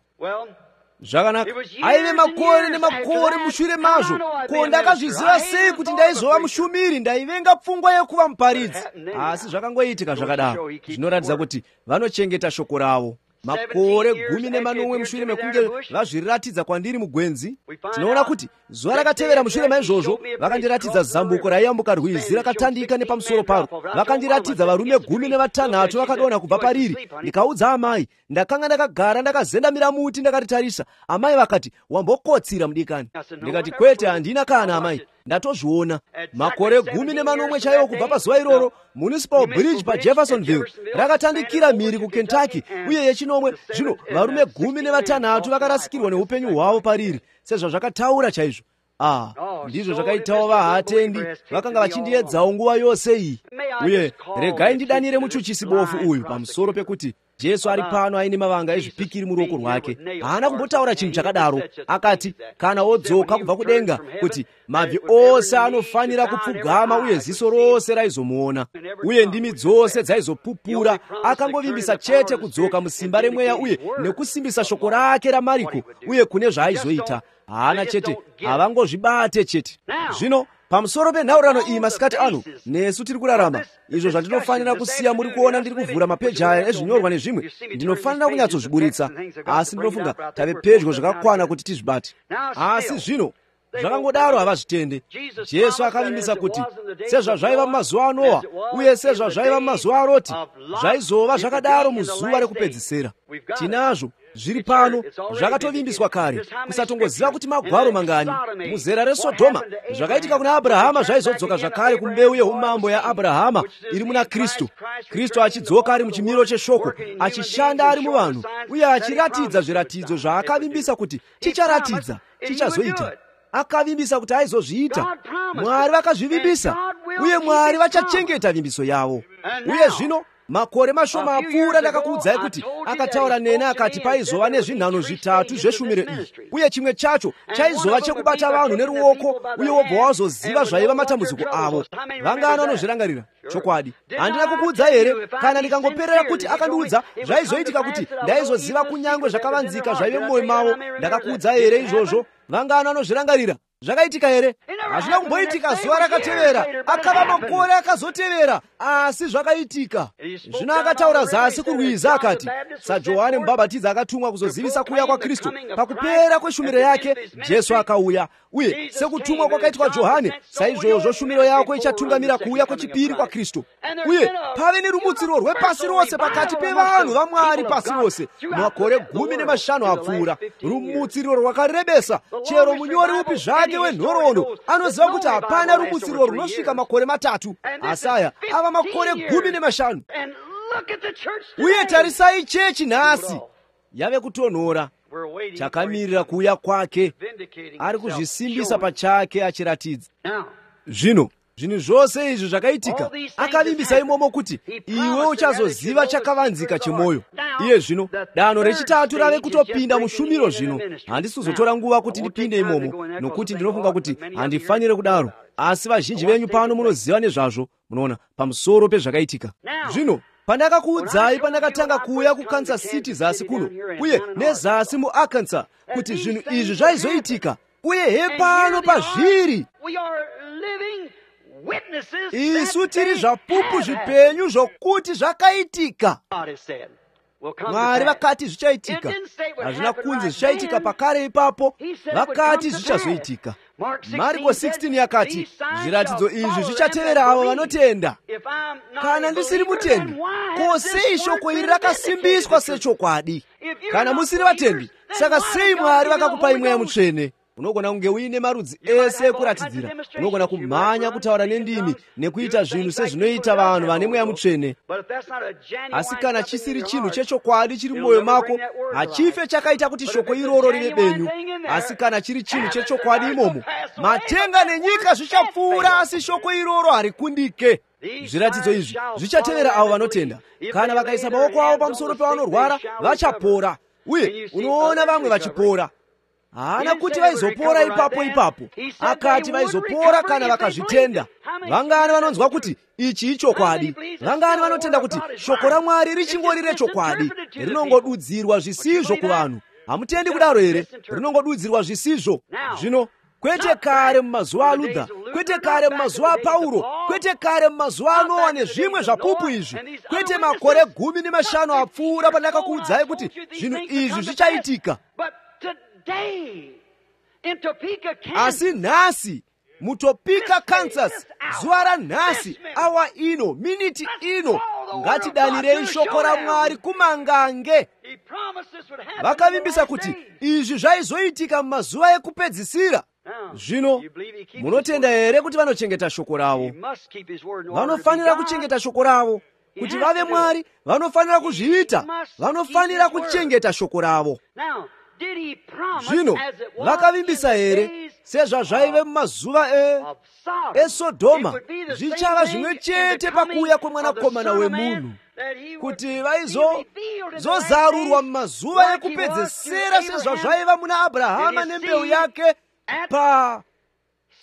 Zvakanaka, aive makore nemakore mushure mazvo. Ko, ndakazviziva sei kuti ndaizova mushumiri? Ndaivenga pfungwa yekuva muparidzi. Asi zvakangoitika zvakadaro. Zvinoratidza kuti vanochengeta shoko ravo. Makore gumi nemanomwe mushure mekunge vazviratidza kwandiri mugwenzi, tinoona kuti zuva rakatevera mushure maizvozvo vakandiratidza zambuko raiyambuka rwizi rakatandika nepamusoro paro. Vakandiratidza varume gumi nevatanhatu vakadonha kubva pariri. Ndikaudza amai, ndakanga ndakagara ndakazendamira muti ndakaritarisa. Amai vakati, wambokotsira mudikani. Ndikati, kwete, handina kana amai, ndatozviona. Makore gumi nemanomwe chaiwo kubva pazuva iroro, Municipal Bridge paJeffersonville rakatandikira mhiri kuKentucky, uye yechinomwe zvino varume gumi nevatanhatu vakarasikirwa neupenyu hwavo pariri, sezvazvakataura chaizvo. Ah, ndizvo zvakaitawo vahatendi vakanga vachindiedzawo nguva yose iyi. Uye regai ndidanire muchuchisi bofu uyu pamusoro pekuti Jesu ari pano aine mavanga ezvipikiri muruoko rwake. Haana kumbotaura chinhu chakadaro. Akati kana wodzoka kubva kudenga kuti mabvi ose anofanira kupfugama uye ziso rose raizomuona uye ndimi dzose dzaizopupura. Akangovimbisa chete kudzoka musimba remweya uye nekusimbisa shoko rake raMariko uye kune zvaaizoita. Haana chete, havangozvibate chete. Zvino pamusoro penhaurirano iyi masikati ano, nesu tiri kurarama, izvo zvandinofanira kusiya muri kuona ndiri kuvhura mapeji aya ezvinyorwa nezvimwe, ndinofanira kunyatsozviburitsa, asi ndinofunga tave pedyo zvakakwana kuti tizvibate. Asi zvino zvakangodaro havazvitende. Jesu akavimbisa kuti sezvazvaiva mumazuva aNoa uye sezvazvaiva mumazuva aRoti, zvaizova zvakadaro muzuva rekupedzisira. Tinazvo zviri pano, zvakatovimbiswa kare. Kusatongoziva kuti magwaro mangani. Muzera reSodhoma zvakaitika kuna Abrahama zvaizodzoka zvakare kumbeu yeumambo yaAbrahama iri muna Kristu. Kristu achidzoka ari muchimiro cheshoko, achishanda ari muvanhu uye achiratidza zviratidzo zvaakavimbisa kuti chicharatidza, chichazoita. Akavimbisa kuti aizozviita. Mwari vakazvivimbisa uye Mwari vachachengeta vimbiso yavo. Uye zvino makore mashoma apfuura ndakakuudzai kuti akataura nene akati paizova nezvinhano zvitatu zveshumiro iyi, uye chimwe chacho chaizova chekubata vanhu neruoko, uye wobva wazoziva zvaiva matambudziko avo. Vangano vanozvirangarira chokwadi. Handina kukuudza here kana ndikangoperera kuti akandiudza zvaizoitika kuti ndaizoziva kunyangwe zvakavanzika zvaive mumwoyo mavo? Ndakakuudza here izvozvo? Vangano vanozvirangarira. Zvakaitika here? Hazvina kumboitika zuva rakatevera, akava makore akazotevera, asi zvakaitika. Zvino akataura zasi kurwiza akati, saJohani Mubhabhatidzi akatumwa kuzozivisa kuuya kwaKristu. Pakupera kweshumiro yake Jesu akauya, uye sekutumwa kwakaitwa Johani, saizvozvo shumiro yako ichatungamira kuuya kwechipiri kwaKristu. Uye pave nerumutsiro rwepasi rose pakati pevanhu vaMwari pasi rose makore gumi nemashanu apfuura. Rumutsiro rwakarebesa, chero munyori upi zvake wenhoroondo anoziva kuti hapana rumutsiro runosvika makore matatu. Asaya ava makore gumi nemashanu. Uye tarisai chechi nhasi yave kutonhora, chakamirira kuuya kwake, ari kuzvisimbisa pachake achiratidza. Zvino zvinhu zvose izvi zvakaitika, akavimbisa imomo kuti iwe uchazoziva chakavanzika chemwoyo. Iye zvino danho rechitatu rave kutopinda mushumiro. Zvino handisi kuzotora nguva kuti ndipinde imomo, nokuti ndinofunga kuti handifanire kudaro, asi vazhinji venyu pano munoziva nezvazvo, munoona, pamusoro pezvakaitika. Zvino pandakakuudzai pandakatanga kuuya kuKansas City zasi kuno, uye nezasi muArkansas, kuti zvinhu izvi zvaizoitika, uye hepano pazviri isu tiri zvapupu zvipenyu zvokuti zvakaitika. Mwari vakati zvichaitika. Hazvina kunzi zvichaitika pakare ipapo, vakati zvichazoitika. Marko sixteen yakati zviratidzo izvi zvichatevera avo vanotenda. Kana ndisiri mutendi, ko sei shoko iri rakasimbiswa sechokwadi? Kana musiri vatendi, saka sei Mwari vakakupai Mweya Mutsvene? Unogona kunge uine marudzi ese ekuratidzira, unogona kumhanya kutaura nendimi nekuita zvinhu sezvinoita vanhu vane Mweya Mutsvene. Asi kana chisiri chinhu chechokwadi chiri mumwoyo mako, hachife chakaita kuti shoko iroro rive benyu. Asi kana chiri chinhu chechokwadi imomo, matenga nenyika zvichapfuura, asi shoko iroro harikundike. Zviratidzo izvi zvichatevera avo vanotenda. Kana vakaisa maoko avo pamusoro pevanorwara, vachapora. Uye unoona vamwe vachipora. Haana kuti vaizopora ipapo ipapo, akati vaizopora kana vakazvitenda. Vangani vanonzwa kuti ichi ichokwadi? Vangani vanotenda kuti shoko raMwari richingori rechokwadi, rinongodudzirwa zvisizvo kuvanhu? Hamutendi kudaro here? Rinongodudzirwa zvisizvo. Zvino kwete kare mumazuva aLuther, kwete kare mumazuva aPauro, kwete kare mumazuva aNoa nezvimwe zvapupu izvi, kwete makore gumi nemashanu apfuura pandakakuudzai kuti zvinhu izvi zvichaitika. Asi nhasi muTopeka, Kansas, zuva ranhasi, awa ino, miniti ino, ngatidanirei shoko raMwari kumangange. Vakavimbisa kuti izvi zvaizoitika mumazuva ekupedzisira. Zvino munotenda here kuti vanochengeta shoko ravo? Vanofanira kuchengeta shoko ravo. Kuti vave Mwari, vanofanira kuzviita. Vanofanira kuchengeta shoko ravo. Zvino vakavimbisa here sezvazvaive mumazuva eSodoma, zvichava zvimwe chete pakuuya kwemwanakomana wemunhu, kuti vaizozarurwa mumazuva ekupedzesera sezvazvaiva muna Abrahama nembeu yake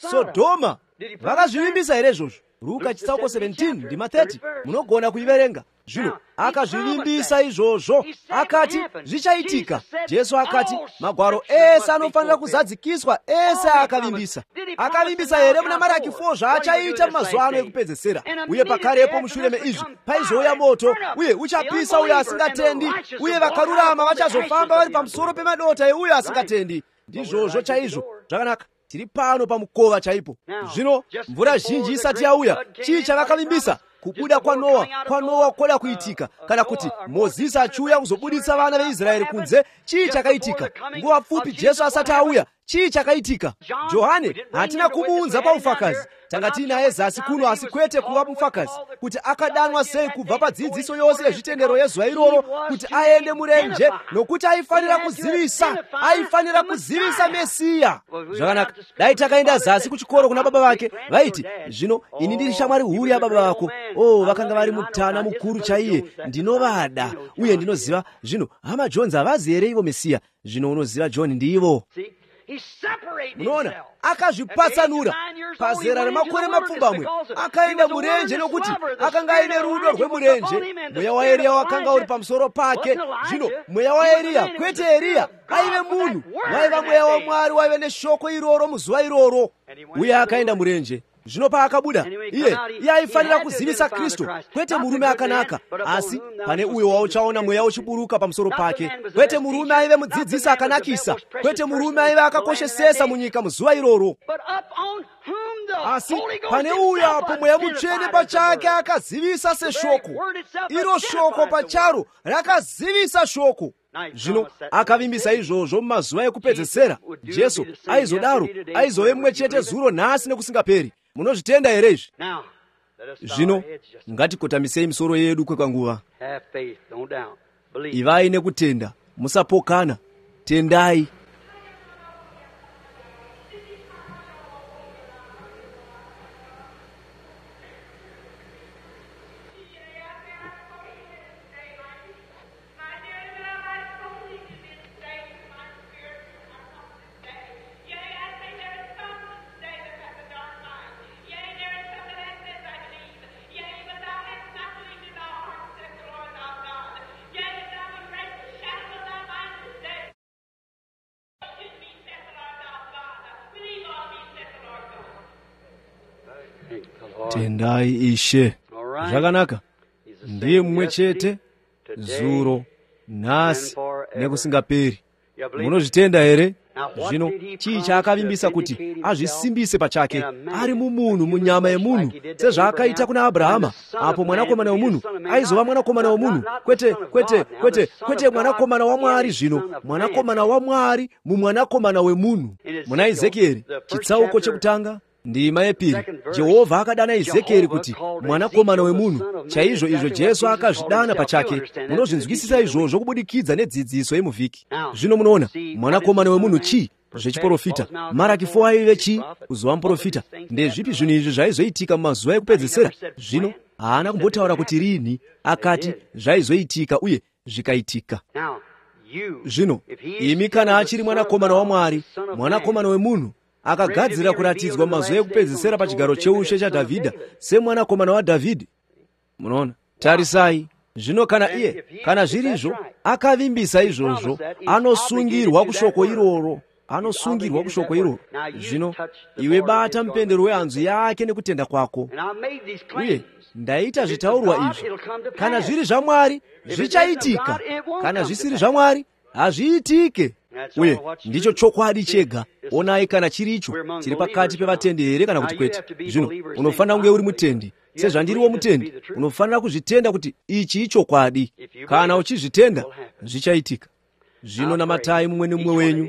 paSodoma. Vakazvivimbisa here izvozvo? Luka chitsauko seventeen ndima thirty munogona kuiverenga. Zvino akazvivimbisa izvozvo, akati zvichaitika. Jesu akati magwaro ese anofanira kuzadzikiswa, ese akavimbisa. Akavimbisa here muna Maraki four zvaachaita mumazuva ano ekupedzesera. Uye pakarepo mushure meizvi paizouya moto, uye uchapisa uyo asingatendi, uye vakarurama vachazofamba vari pamusoro pemadota euyo asingatendi. Ndizvozvo chaizvo. Zvakanaka, tiri pano pamukova chaipo. Zvino mvura zhinji isati yauya, chii chavakavimbisa? Kubuda kwa Noa, kwa Noa koda kuitika. Kana kuti Mozisi achiuya kuzobuditsa vana veIsraeri kunze, chii chakaitika? Nguva pfupi Jesu asati auya, chii chakayitika? Johane hatina kumuunza pa ufakazi, tanga tinaye zasi kuno asikwete kuva mufakazi kuti akadanwa sei kubva pa dzidziso yonse yezvitendero yezuva iroro kuti aende murenje, nokuti aifanira kuzivisa aifanira kuzivisa Mesiya. Zvakanaka, dai takaenda zasi kuchikoro kuna baba vake vaiti, zvino ini ndiri shamwari huru ya baba vako. Oh, vakanga vari mutana mukuru chaiye, ndinovada uye ndinoziva. Zvino hama Jones havazi here ivo Mesiya? Zvino unoziva John ndivo. Munoona, akazvipatsanura pazera remakore mapfumbamwe, akaenda murenje nokuti akanga aine rudo rwemurenje. Mweya wa Eriya wakanga uri pamusoro pake. Zvino mweya wa Eriya, kwete Eriya, aive munhu, waiva mweya wa Mwari, waive neshoko iroro muzuva iroro. Uye akaenda murenje. Zvino paakabuda iye iye aifanira kuzivisa Kristu, kwete murume akanaka, asi pane uyo wauchaona mweya uchiburuka pamusoro pake. Kwete murume aive mudzidzisi akanakisa, kwete murume aive akakoshesesa munyika muzuva iroro, asi pane uyo apo mweya mutsvene pachake akazivisa seshoko. Iro shoko pacharo rakazivisa shoko. Zvino akavimbisa izvozvo mumazuva ekupedzesera. Jesu aizodaro, aizove mumwe chete zuro nhasi nekusingaperi. Munozvitenda here izvi? Zvino ngatikotamisei misoro yedu kwekanguva. Ivai nekutenda, musapokana, tendai. Tendai Ishe. Zvakanaka, ndiye mumwe chete zuro, nhasi nekusingaperi. Munozvitenda here? Zvino chii chaakavimbisa kuti azvisimbise pachake ari mumunhu, munyama yemunhu, sezvaakaita kuna Abrahama, apo mwanakomana wemunhu aizova mwanakomana wemunhu, kwete kwete kwete kwete mwanakomana waMwari. Zvino mwanakomana waMwari mumwanakomana wemunhu. Muna Ezekieri chitsauko chekutanga ndima yepiri, Jehovha akadana Ezekieri kuti mwanakomana wemunhu. Chaizvo izvo Jesu akazvidana pachake. Munozvinzwisisa izvozvo kubudikidza nedzidziso yemuvhiki. Zvino munoona mwanakomana wemunhu chii? Zvechiprofita. Maraki four aive chii? Kuzova muprofita. Ndezvipi zvinhu izvi zvaizoitika mumazuva ekupedzesera? Zvino haana kumbotaura kuti rini, akati zvaizoitika uye zvikaitika. Zvino imi kana achiri mwanakomana waMwari, mwanakomana wemunhu, akagadzira kuratidzwa mazuva ekupedzesera pachigaro cheushe chaDhavhidha semwanakomana waDhavhidhi. Munoona, tarisai. Zvino kana iye, kana zvirizvo, akavimbisa izvozvo, anosungirwa kushoko iroro, anosungirwa kushoko iroro. Zvino iwe bata mupendero wehanzu yake nekutenda kwako. Uye ndaita zvitaurwa izvi, kana zviri zvaMwari zvichaitika, kana zvisiri zvaMwari hazviitike. Uye ndicho chokwadi chega. Onai kana chiricho chiri pakati pevatendi here kana kuti kwete. Zvino unofanira kunge uri mutendi, sezvandiriwo mutendi. Unofanira kuzvitenda kuti ichi ichokwadi. Kana uchizvitenda zvichaitika. Zvino namatai mumwe nemumwe wenyu,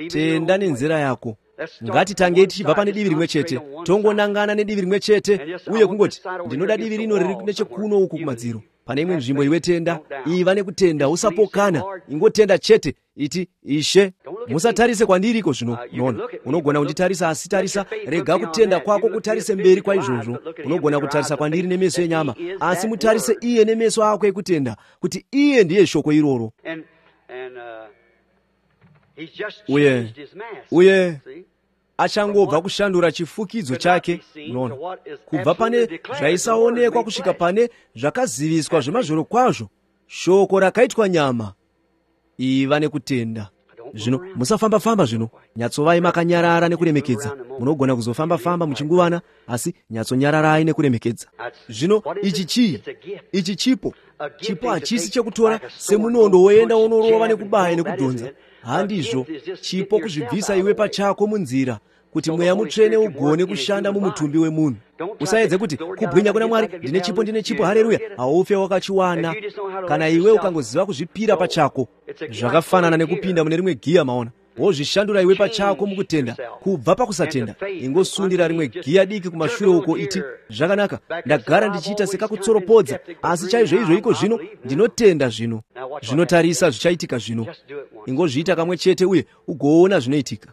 tenda nenzira yako. Ngatitange tichibva pane divi rimwe chete, tongonangana nedivi rimwe chete, uye kungoti ndinoda divi rino riri nechekuno uku kumadziro. Pane imwe nzvimbo iwe tenda, iva nekutenda, usapokana, ingotenda chete, iti Ishe. Musatarise kwandiriko. Zvino unoona, unogona kunditarisa, asi tarisa, rega kutenda kwako kutarise mberi kwa izvozvo. Unogona kutarisa kwandiri nemeso enyama, asi mutarise iye nemeso ako ekutenda, kuti iye ndiye shoko iroro. Uye uye achangobva kushandura chifukidzo chake. Unoona, kubva pane zvaisaonekwa kusvika pane zvakaziviswa zvemazvoro kwazvo, shoko rakaitwa nyama. Iva nekutenda. Zvino musafamba-famba. Zvino nyatsovai makanyarara nekuremekedza. Munogona kuzofamba-famba muchinguvana, asi nyatsonyararai nekuremekedza. Zvino ichi chii? Ichi chipo. Chipo hachisi chekutora semunondo woenda unorova nekubaya nekudhonza. Handizvo. Chipo kuzvibvisa iwe pachako munzira, kuti mweya mutsvene ugone kushanda mumutumbi wemunhu. Usaedze kuti kubwinya kuna Mwari, ndine chipo, ndine chipo, haleluya, haufe wakachiwana. Kana iwe ukangoziva kuzvipira pachako, zvakafanana nekupinda mune rimwe giya. Maona, wozvishandura iwe pachako mukutenda kubva pakusatenda. Ingosundira rimwe giya diki kumashure uko iti zvakanaka, ndagara ndichiita sekakutsoropodza, asi chaizvo izvo iko zvino ndinotenda zvino. Zvinotarisa zvichaitika zvino. Ingozviita kamwe chete uye ugoona zvinoitika.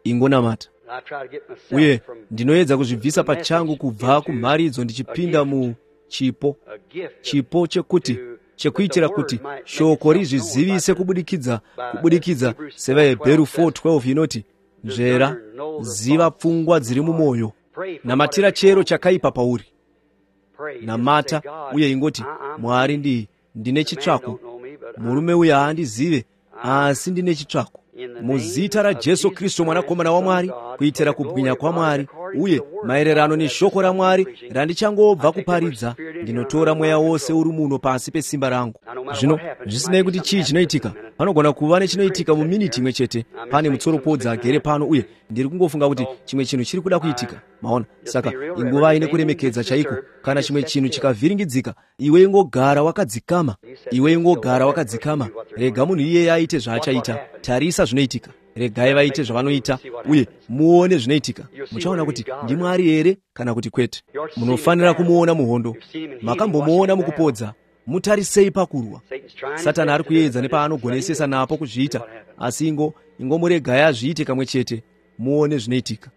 Ingonamata. Uye ndinoedza kuzvibvisa pachangu kubva kumharidzo ndichipinda mu chipo chipo chekuti chekuitira kuti shoko rizvizivise kubudikidza kubudikidza sevahebheru four twelve inoti nzvera ziva pfungwa dziri mumwoyo. Namatira chero chakaipa pauri. Namata uye ingoti Mwari ndi ndine chitsvako, murume uyu haandizive asi ndine chitsvako. Muzita raJesu Kristu mwanakomana wa Mwari, kuitira kubwinya kwa Mwari uye maererano neshoko raMwari randichangobva kuparidza, ndinotora mweya wose uri muno pasi pesimba rangu. Zvino zvisinei kuti chii chinoitika, panogona kuva nechinoitika muminiti imwe chete. Pane mutsoropodzi agere pano uye ndiri kungofunga kuti chimwe chinhu chiri kuda kuitika. Maona, saka inguva ine kuremekedza chaiko. Kana chimwe chinhu chikavhiringidzika, iwe ingogara wakadzikama, iwe ingogara wakadzikama. Rega munhu iyeye aite zvaachaita. Tarisa zvinoitika. Regai vaite zvavanoita uye muone zvinoitika. Muchaona kuti ndiMwari here kana kuti kwete. Munofanira kumuona muhondo. Makambomuona mukupodza. Mutarisei pakurwa. Satani ari kuedza nepaanogonesesa napo kuzviita, asi ingo ingomuregai azviite kamwe chete. Muone zvinoitika.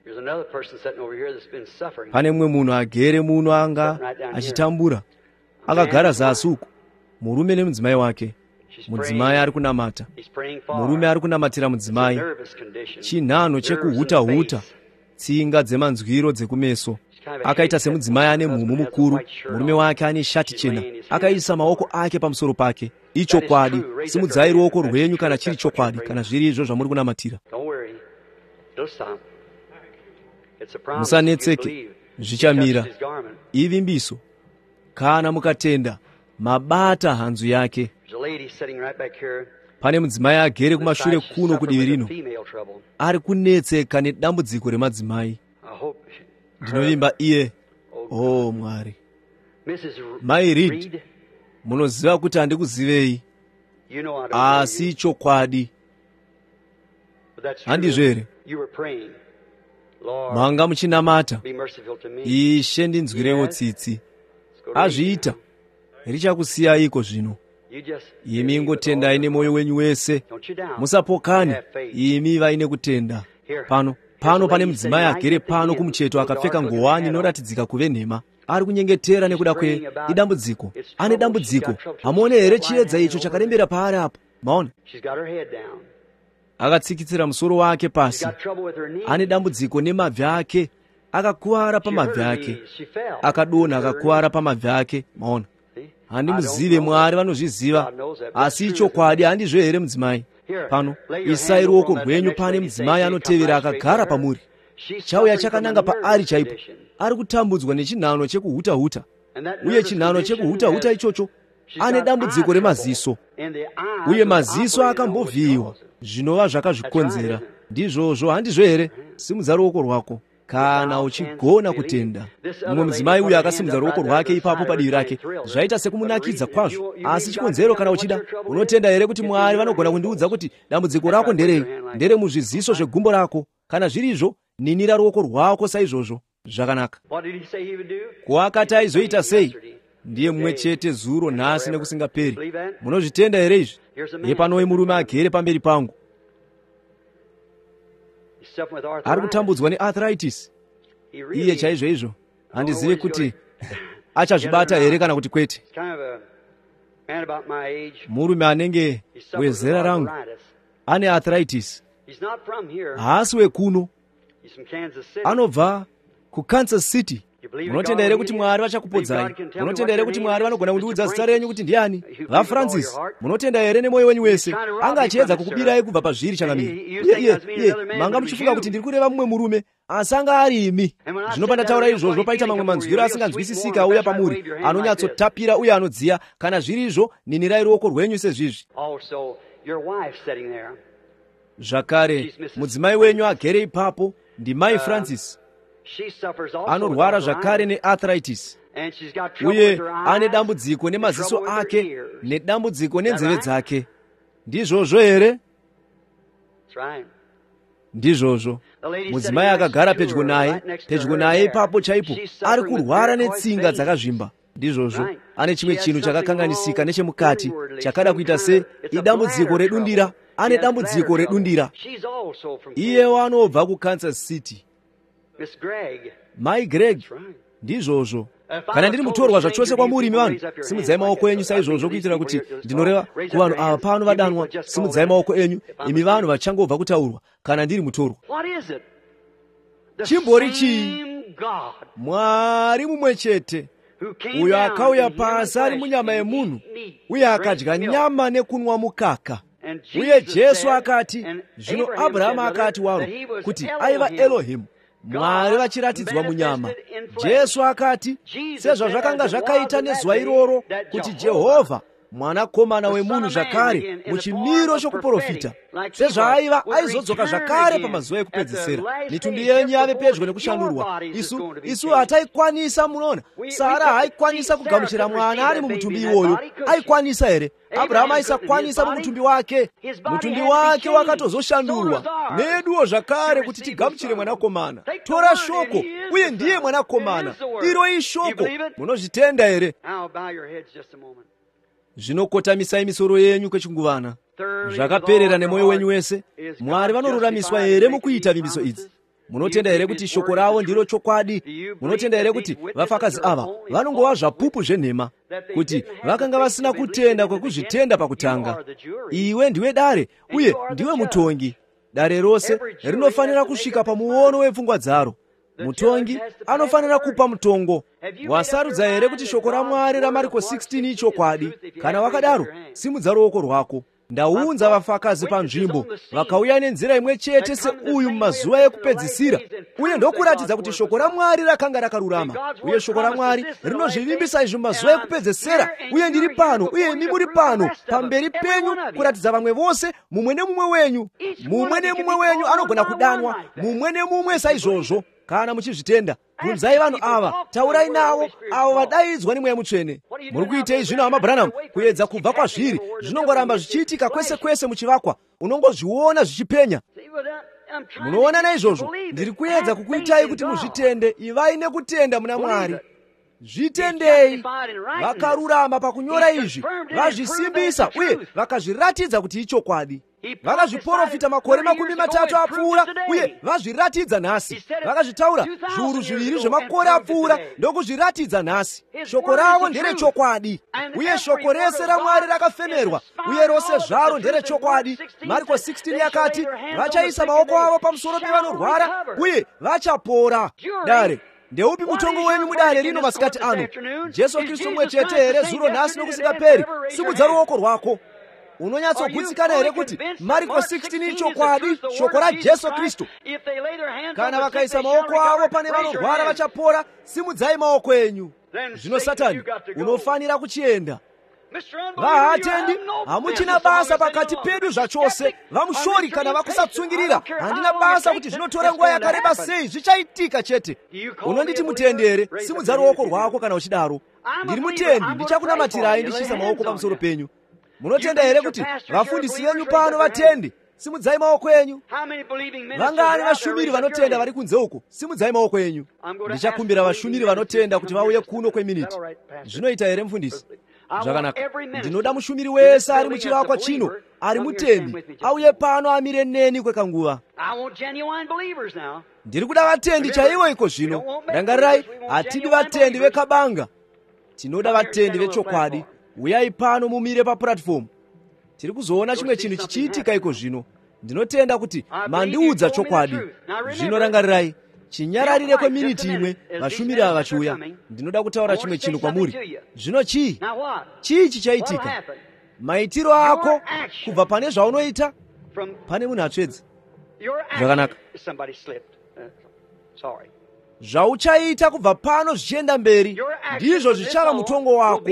Pane mumwe munhu agere muno anga achitambura, akagara zasi uko, murume nemudzimai wake. Mudzimai ari kunamata, murume ari kunamatira mudzimai. Chinhano chekuhuta-huta, tsinga dzemanzwiro dzekumeso. Akaita semudzimai ane mhumu mukuru, murume wake ane shati chena, akaisa maoko ake pamusoro pake. Ichokwadi, simudzai ruoko rwenyu kana chiri chokwadi, kana zviri izvo zvamuri kunamatira. Musanetseke, zvichamira. Ivimbiso, kana mukatenda, mabata hanzu yake. Pane mudzimai agere kumashure kuno kudivi rino, ari kunetseka nedambudziko remadzimai. Ndinovimba iye, oh Mwari. Mai Reed, munoziva kuti handikuzivei, asi chokwadi. Handizvo here? Manga muchinamata, Ishe ndinzwirewo tsitsi. Azviita, richakusiyayiko zvino. Imi ingotendai nemwoyo wenyu wese, musapokane. Imi vaine kutenda. Pano pano pane mudzimai agere pano kumucheto akapfeka ngowani inoratidzika kuve nhema. Ari kunyengetera nekuda kwe idambudziko. Ane dambudziko. Hamuone here chiedza icho chakarembera paari apo? Maona? Akatsikitsira musoro wake pasi. Ane dambudziko nemabvi ake. Akakuwara pamabvi ake. Akadonha akakuwara pamabvi ake. Maona? Handimuzive, Mwari vanozviziva, asi ichokwadi. Handizvo here mudzimai? Pano isai ruoko rwenyu pane mudzimai anotevera akagara pamuri. Chauya chakananga paari chaipo. Ari kutambudzwa nechinhano chekuhuta-huta, uye chinhano chekuhuta-huta ichocho ane dambudziko remaziso, uye maziso akambovhiyiwa. Zvinova zvakazvikonzera. Ndizvozvo, handizvo here? Simudza ruoko rwako kana uchigona kutenda. Mumwe mudzimai uyu akasimudza ruoko rwake ipapo padivi rake. Zvaita sekumunakidza kwazvo. Asi chikonzero, kana uchida, unotenda here kuti Mwari vanogona kundiudza kuti dambudziko rako nderei? Ndere muzviziso zvegumbo rako. Kana zvirizvo, ninira ruoko rwako saizvozvo. Zvakanaka. Kuakati aizoita sei? Ndiye mumwe chete zuro, nhasi nekusingaperi. Munozvitenda here izvi? Yepanowe murume agere pamberi pangu, ari kutambudzwa nearthritis. Iye chaizvo izvo, handizivi kuti achazvibata here kana kuti kwete. Murume anenge wezera rangu ane arthritis. Haasi wekuno, anobva kuKansas City. Munotenda here kuti Mwari vachakupodzai? Munotenda here kuti Mwari vanogona kundiudza zita renyu kuti ndiani? VaFrancis, munotenda here nemwoyo wenyu wese? Anga achiedza kukubirai kubva pazviri changamire. Iye iye iye manga muchifunga kuti ndiri kureva mumwe murume, asi anga ari imi. Zvino pandataura izvozvo, paita mamwe manzwiro asinganzwisisika auya pamuri, anonyatsotapira uye anodziya. Kana zviri izvo, ninirai ruoko rwenyu sezvizvi. Zvakare, mudzimai wenyu agere ipapo ndimai Francis. Anorwara zvakare nearthritis, uye ane dambudziko nemaziso ake nedambudziko nenzeve dzake. Ndizvozvo here? ndizvozvo mudzimai akagara pedyo naye pedyo naye ipapo chaipo ari kurwara netsinga dzakazvimba. Ndizvozvo ane chimwe chinhu chakakanganisika nechemukati chakada kuita se idambudziko redundira. Ane dambudziko redundira. Iyewo anobva kuKansas City. Mai Greg. Ndizvozvo. Kana ndiri mutorwa zvachose kwamuri imi vanhu, simudzai maoko enyu saizvozvo kuitira kuti ndinoreva kuvanhu ava pano vadanwa. Simudzai maoko enyu imi vanhu vachangobva kutaurwa. Kana ndiri mutorwa. Chimbori chii? Mwari mumwe chete uyo akauya pasi ari munyama yemunhu uye akadya nyama nekunwa mukaka. Uye Jesu akati, zvino Abrahamu akati waro kuti aiva Elohimu, Mwari vachiratidzwa munyama. Jesu akati, sezvazvakanga zvakaita nezuva iroro kuti Jehovha mwanakomana wemunhu zvakare muchimiro chokuprofita, sezvaaiva aizodzoka zvakare pamazuva ekupedzisira, mitumbi yenyu yave pedyo nekushandurwa. Isu isu hataikwanisa. Munoona, Sara haikwanisa kugamuchira mwana ari mumutumbi iwoyo. Aikwanisa here? Abrahamu aisakwanisa mumutumbi wake. Mutumbi wake wakatozoshandurwa neduwo zvakare kuti tigamuchire mwanakomana. Tora shoko, uye ndiye mwanakomana. Iro ishoko. Munozvitenda here? Zvinokotamisai misoro yenyu kwechinguvana. Zvakaperera nemwoyo wenyu wese. Mwari vanoruramiswa here mukuita vimbiso idzi? Munotenda here kuti shoko ravo ndiro chokwadi? Munotenda here kuti vafakazi ava vanongova zvapupu zvenhema, kuti vakanga vasina kutenda kwekuzvitenda pakutanga? Iwe ndiwe dare uye ndiwe mutongi. Dare rose rinofanira kusvika pamuono wepfungwa dzaro. Mutongi anofanira kupa mutongo. Wasarudza here kuti shoko raMwari raMariko sixteen ichokwadi? Kana wakadaro, simudza ruoko rwako. Ndaunza vafakazi panzvimbo vakauya nenzira imwe chete seuyu mumazuva ekupedzisira, uye ndokuratidza kuti shoko raMwari rakanga rakarurama. Uye shoko raMwari rinozvivimbisa izvi mumazuva ekupedzisira, uye ndiri pano uye imi muri pano pamberi penyu kuratidza vamwe vose, mumwe nemumwe wenyu. Mumwe nemumwe wenyu anogona kudanwa, mumwe nemumwe saizvozvo. Kana muchizvitenda, bvunzai vanhu ava, taurai navo, avo vadaidzwa nemweya mutsvene. Muri kuitei zvino hama Branham? Kuedza kubva kwazviri zvinongoramba zvichiitika kwese kwese muchivakwa. Unongozviona zvichipenya. Munoona naizvozvo ndiri kuedza kukuitai kuti muzvitende. Ivai nekutenda muna Mwari. Zvitendei. Vakarurama pakunyora izvi, vazvisimbisa uye vakazviratidza kuti ichokwadi. Vakazviprofita makore makumi matatu apfuura uye vazviratidza nhasi. Vakazvitaura zviuru zviviri zvemakore apfuura ndokuzviratidza nhasi. Shoko ravo nderechokwadi, uye shoko rese raMwari rakafemerwa, uye rose zvaro nderechokwadi. Mariko sixteen yakati, vachaisa maoko avo pamusoro pevanorwara uye vachapora. Dare, ndeupi mutongo wenyu mudare rino masikati ano? Jesu Kristu mwe chete here zuro nhasi nokusingaperi? Simudza ruoko rwako. Unonyatsogutsikana here kuti Mariko sixteen ichokwadi, shoko raJesu Kristu? Kana vakaisa maoko avo pane vanorwara vachapora, simudzai maoko enyu. Zvino Satani, unofanira kuchienda. Vahatendi, hamuchina basa pakati pedu zvachose. Vamushori kana vakusatsungirira. Handina basa kuti zvinotora nguva yakareba sei, zvichaitika chete. Unonditi mutendere, simudza ruoko rwako kana uchidaro. Ndiri mutendi, ndichakunamatirai ndichisa maoko pamusoro penyu. Munotenda here kuti vafundisi venyu pano vatendi? Simudzai maoko enyu. Vangani vashumiri vanotenda vari kunze uko? Simudzai maoko enyu. Ndichakumbira vashumiri vanotenda kuti vauye kuno kweminiti. Zvinoita here mufundisi? Zvakanaka. Ndinoda mushumiri wese ari muchivakwa chino, ari mutendi, auye pano amire neni kwekanguva. Ndiri kuda vatendi chaivo iko zvino. Rangarirai, hatidi vatendi vekabanga. Tinoda vatendi vechokwadi. Uyai pano mumire papuratifomu. Tiri kuzoona chimwe chinhu chichiitika iko zvino. Ndinotenda kuti mandiudza chokwadi. Zvino rangarirai, chinyararire kweminiti imwe vashumiri ava vachiuya. Ndinoda kutaura chimwe chinhu kwamuri. Zvino chii? Chii chichaitika? Maitiro ako kubva pane zvaunoita? Pane munhu atsvedza. Zvakanaka. Zvauchaita kubva pano zvichienda mberi ndizvo zvichava mutongo wako.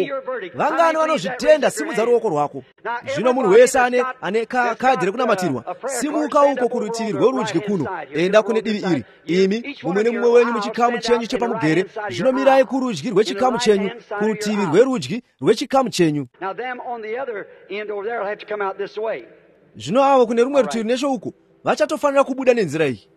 Vangani vanozvitenda? Simudza ruoko rwako. Zvino munhu wese ane ane kadhi rekunamatirwa, simuka uko kurutivi rwerudyi kuno, enda kune divi iri. Imi mumwe nemumwe wenyu muchikamu chenyu chepamugere, zvino mirai kurudyi rwechikamu chenyu, kurutivi rwerudyi rwechikamu chenyu.
Now them on the other end over there will have to come out this way.
Zvino avo kune rumwe rutivi nesho uko vachatofanira kubuda nenzira iyi.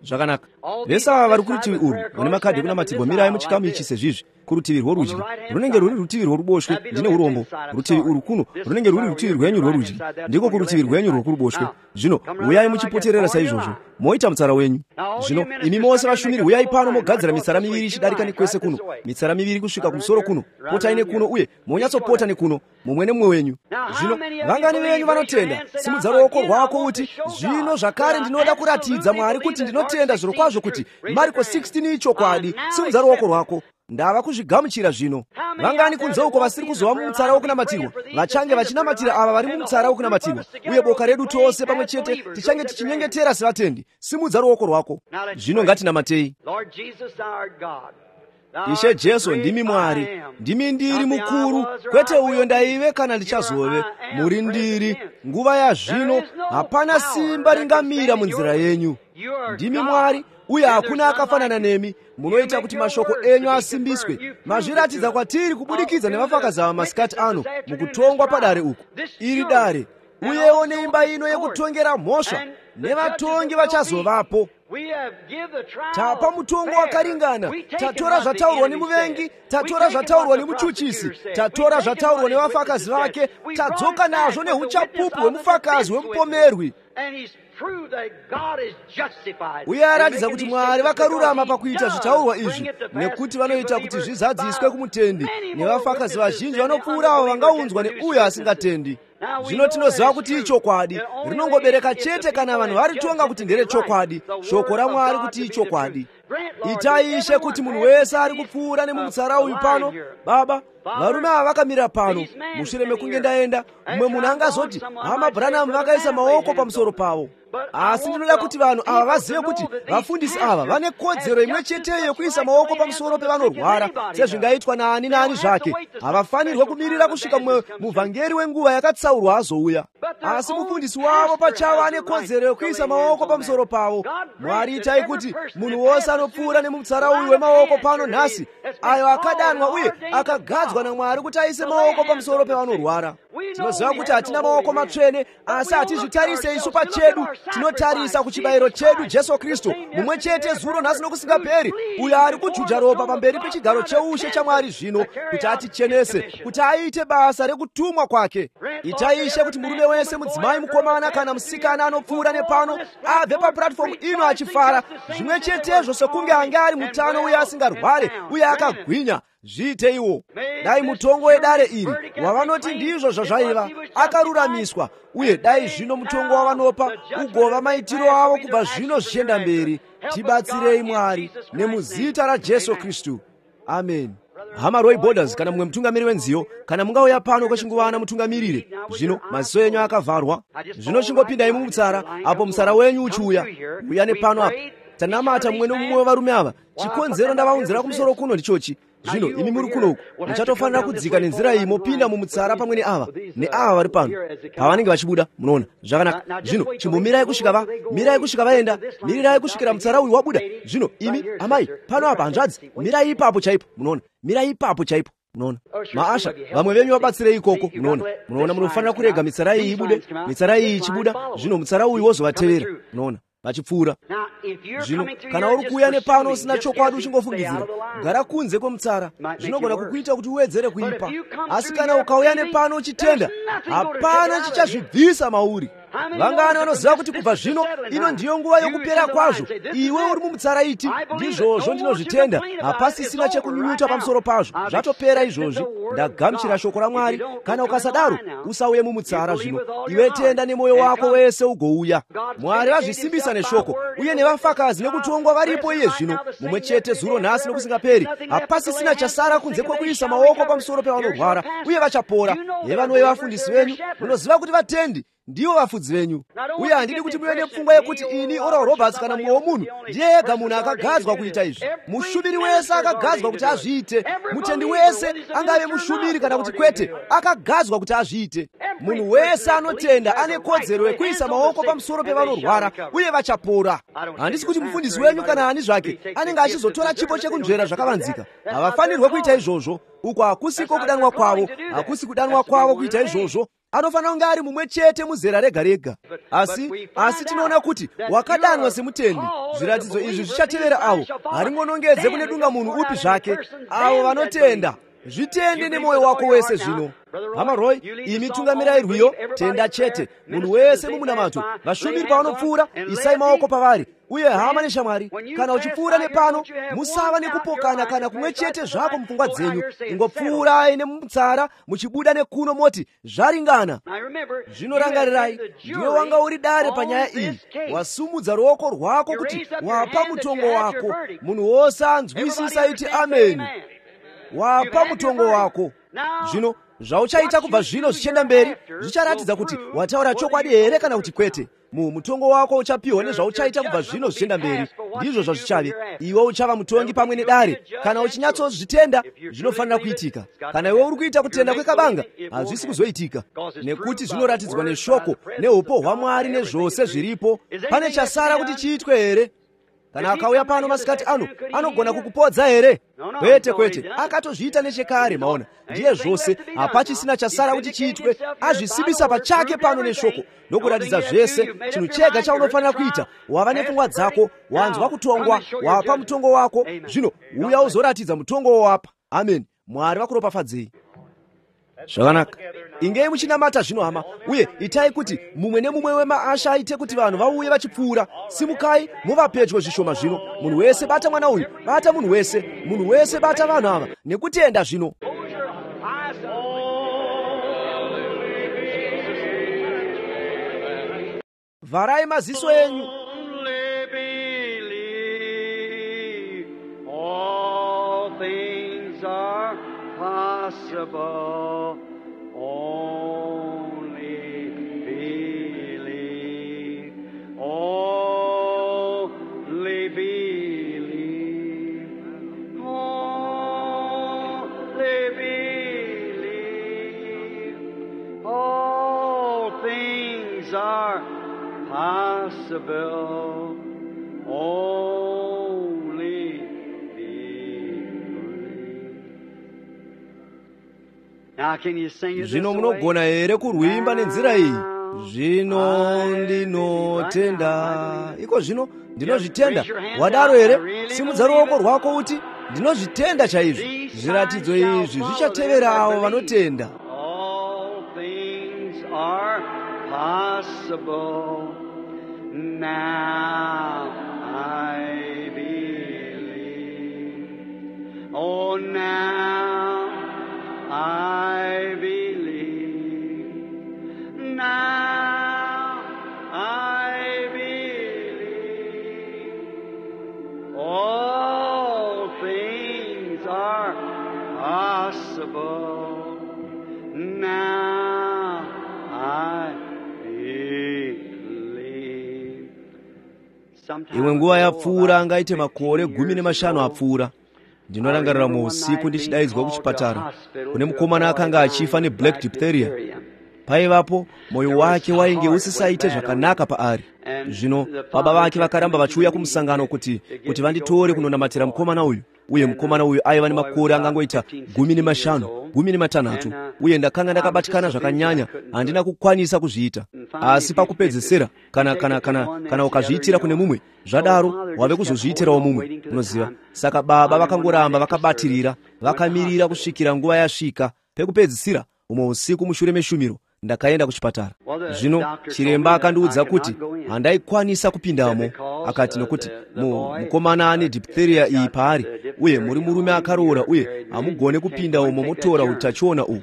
Zvakanaka. Vese ava vari kurutivi urwu vane makhadhi ekunamatirwa mirai muchikamu ichi sezvizvi. Kurutivi rworudyi runenge rwuri rutivi rworuboshwe ndine urombo. Rutivi urwu kuno runenge rwuri rutivi rwenyu rworudyi, ndiko kurutivi rwenyu rwokuruboshwe. Zvino uyai muchipoterera saizvozvo, moita mutsara wenyu. Zvino imi mose vashumiri, uyai pano mogadzira mitsara miviri ichidarika nekwese kuno, mitsara miviri kusvika kumusoro kuno, potai nekuno uye monyatsopota nekuno, mumwe nemumwe wenyu. Zvino vangani venyu vanotenda? Simudza ruoko rwako uti, zvino zvakare ndinoda kuratidza Mwari kuti ndinotenda zviro kwazvo kuti Mariko sixteen ichokwadi. Simudza ruoko rwako. Ndava kuzvigamuchira zvino. Vangani kunze uko vasiri kuzova mumutsara wokunamatirwa vachange vachinamatira ava vari mumutsara wokunamatirwa, uye boka redu tose pamwe chete tichange tichinyengetera sevatendi. Simudza ruoko rwako. Zvino ngatinamatei. Ishe Jesu, ndimi Mwari, ndimi ndiri mukuru, kwete uyo ndaive kana ndichazove. Muri ndiri nguva ya zvino, hapana simba ringamira munzira yenyu. Ndimi Mwari, uye hakuna akafanana nemi. Munoita kuti mashoko enyu asimbiswe. Mazviratidza kwatiri kubudikidza nevafakazi ava masikati ano mukutongwa padare uku. Iri dare, uyewo neimba ino yekutongera mhosva, nevatongi vachazovapo. Tapa mutongo wakaringana. Tatora zvataurwa nemuvengi, tatora zvataurwa nemuchuchisi, tatora zvataurwa nevafakazi vake, tadzoka nazvo neuchapupu hwemufakazi wemupomerwi. Uye aratidza kuti Mwari vakarurama pakuita zvitaurwa izvi, nekuti vanoita kuti zvizadziswe kumutendi, nevafakazi vazhinji vanopfuura avo vangaunzwa neuyo asingatendi. Zvino tinoziva kuti ichokwadi rinongobereka chete kana vanhu varitonga kuti nderechokwadi, shoko raMwari kuti ichokwadi. Itai Ishe kuti munhu wese ari kupfuura nemumutsara uyu pano. Baba, varume ava vakamira pano, mushure mekunge ndaenda, mumwe munhu angazoti hama Branham vakaisa maoko pamusoro pavo. Asi ndinoda kuti vanhu ava vazive kuti vafundisi ava vane kodzero imwe cheteyo yekuisa maoko pamusoro pevanorwara, sezvingaitwa naani naani zvake. Havafanirwe kumirira kusvika mumwe muvhangeri wenguva yakatsaurwa azouya. Asi mufundisi wavo pachavo ane kodzero yekuisa maoko pamusoro pavo. Mwari, itai kuti munhu wose anopfuura nemumutsara uyu wemaoko pano nhasi, ayo akadanwa uye akagadzwa naMwari kuti aise maoko pamusoro pevanorwara. Tinoziva kuti hatina maoko matsvene, asi hatizvitarise isu pachedu. Tinotarisa kuchibayiro chedu Jesu Kristu, mumwe chete zuro nhasi nokusingaperi, uyo ari kujuja ropa pamberi pechigaro cheushe chaMwari zvino, kuti atichenese, kuti aite basa rekutumwa kwake. Itai Ishe kuti murume wese, mudzimai, mukomana kana musikana anopfuura nepano abve papuratifomu ino achifara, zvimwe chetezvo sekunge ange ari mutano uye asingarware uye akagwinya. Zviite iwo. Dai mutongo wedare iri wavanoti ndizvo zvazvaiva akaruramiswa, uye dai zvino mutongo wavanopa ugova maitiro avo kubva zvino zvichienda mberi. Tibatsirei Mwari, nemuzita raJesu Kristu. Amen. Hama Roy Borders kana mumwe mutungamiri wenziyo, kana mungauya pano kwechinguvana mutungamirire. Zvino maziso enyu akavharwa. Zvino chingopindai mumutsara, apo mutsara wenyu uchiuya. Uya nepano apa. Tanamata mumwe nomumwe wevarume ava. Chikonzero ndavaunzira kumusoro kuno ndichochi. Zvino imi muri kunoku muchatofanira kudzika nenzira iyi mopinda mumutsara pamwe neava neava vari pano pavanenge vachibuda. Munoona zvakanaka. Zvino chimbomirai kusvika va mirai kusvika vaenda, mirirai kusvikira mutsara uyu wabuda. Zvino imi amai pano apa hanzvadzi, mirai ipapo chaipo. Munoona, mirai ipapo chaipo. Munoona maasha, vamwe venyu vabatsirei ikoko. Munoona, munoona munofanira kurega mitsara iyi ibude, mitsara iyi ichibuda, zvino mutsara uyu wozovatevera. Munoona vachipfuura. Zvino kana uri kuuya nepano usina chokwadi uchingofungidzira, gara kunze kwemutsara. Zvinogona kukuita kuti uwedzere kuipa, asi kana ukauya nepano uchitenda, hapana chichazvibvisa mauri. Vangani vanoziva kuti kubva zvino ino ndiyo nguva yokupera kwazvo. Iwe uri mumutsara iti, ndizvozvo ndinozvitenda, hapasisina chekunyunyuta pamusoro pazvo. Zvatopera izvozvi. Ndagamuchira shoko raMwari. Kana ukasadaro usauye mumutsara. Zvino iwe tenda nemwoyo wako wese ugouya. Mwari vazvisimbisa neshoko, uye nevafakazi nekutongwa varipo iye zvino, mumwe chete zuro nhasi nokusingaperi. Hapasisina chasara kunze kwekuisa maoko pamusoro pevanorwara, uye vachapora. Yevanowe vafundisi venyu, munoziva kuti vatendi ndivo vafudzi venyu. Uye handidi kuti muve nepfungwa yekuti ini Oral Roberts kana mumwe womunhu ndiye ega munhu akagadzwa kuita izvi. Mushumiri wese akagadzwa kuti azviite. Mutendi wese angave mushumiri kana kuti kwete, akagadzwa kuti azviite. Munhu wese anotenda ane kodzero yekuisa maoko pamusoro pevanorwara, uye vachapora. Handisi kuti mufundisi wenyu kana ani zvake anenge achizotora chipo chekunzvera zvakavanzika. Havafanirwe kuita izvozvo. Uko hakusiko kudanwa kwavo, hakusi kudanwa kwavo kuita izvozvo. anofanira kunge ari mumwe chete muzera rega rega. Asi asi tinoona kuti wakadanwa semutendi. Zviratidzo izvi zvichatevera avo haring'onongedze kune dunga munhu upi zvake, avo vanotenda. Zvitende nemoyo wako wese zvino. Hama Roy, imi tungamirai rwiyo, tenda chete. Munhu wese mumunamato, vashumiri pavanopfuura, isai maoko pavari. Uye hama neshamwari, kana uchipfuura nepano, musava nekupokana kana kumwe chete zvako mupfungwa dzenyu. Ingopfuurai nemutsara, muchibuda nekuno moti, zvaringana. Zvino rangarirai, ndiwe wanga uri dare panyaya iyi. Wasumudza ruoko rwako kuti wapa mutongo wako. Munhu wose anzwisisa iti ameni. Wapa mutongo wako. Zvino zvauchaita kubva zvino zvichienda mberi zvicharatidza kuti wataura chokwadi here kana kuti kwete. Mu mutongo wako uchapiwa nezvauchaita kubva zvino zvichienda mberi. Ndizvo zvazvichave. Iwe uchava mutongi pamwe nedare. Kana uchinyatsozvitenda zvinofanira kuitika. Kana iwe uri kuita kutenda kwekabanga hazvisi kuzoitika, nekuti zvinoratidzwa neshoko neupo hwaMwari nezvose zviripo. Pane chasara kuti chiitwe here? Kana akauya pano masikati ano anogona kukupodza here? Kwete kwete, akatozviita nechekare. Maona ndiye zvose, hapachisina chasara kuti chiitwe. Azvisibisa pachake pano neshoko nokuratidza zvese. Chinhu chega chaunofanira kuita, wava nepfungwa dzako, wanzwa kutongwa, wapa mutongo wako. Zvino uya uzoratidza mutongo wawapa. Amen. Mwari vakuropafadzei. Zvakanaka. Ingei muchinamata zvino hama, uye itai kuti mumwe nemumwe wemaasha aite kuti vanhu vauye vachipfuura. Simukai muva pedyo zvishoma zvino. Munhu wese bata mwana uyu, bata munhu wese, munhu wese bata vanhu ava nekutenda zvino. Varai maziso enyu.
Possible, only believe, only believe, only believe, all things are possible, only
Zvino munogona here kurwimba nenzira iyi? Zvino ndinotenda. Iko zvino ndinozvitenda. Wadaro here? Simudza ruoko rwako uti ndinozvitenda chaizvo. Zviratidzo izvi zvichatevera avo vanotenda.
All things are possible. Now I believe. Oh, now I believe. Now I believe. All things are possible. Now I believe.
Imwe nguva yapfuura angaite makore gumi nemashanu apfuura. Ndinorangarira mu usiku ndichidaidzwa kuchipatara kune mukomana akanga achifa neblack diphtheria. Paivapo moyo wake wainge usisaite zvakanaka paari. Zvino baba vake vakaramba vachiuya kumusangano kuti kuti vanditore kunonamatira mukomana uyu. Uye mukomana uyu aiva nemakore angangoita gumi nemashanu, gumi nematanhatu. Uye ndakanga ndakabatikana zvakanyanya, handina kukwanisa kuzviita. Asi pakupedzesera, kana kana kana kana ukazviitira kune mumwe, zvadaro wave kuzozviitirawo mumwe, unoziva. Saka baba vakangoramba vakabatirira, vakamirira kusvikira nguva yasvika. Pekupedzisira, umwe usiku mushure meshumiro, ndakaenda kuchipatara. Zvino chiremba akandiudza kuti handaikwanisa kupindamo. Akati nokuti mukomana ane diphtheria iyi paari, uye muri murume akaroora, uye hamugone kupinda umo motora utachiona uhu.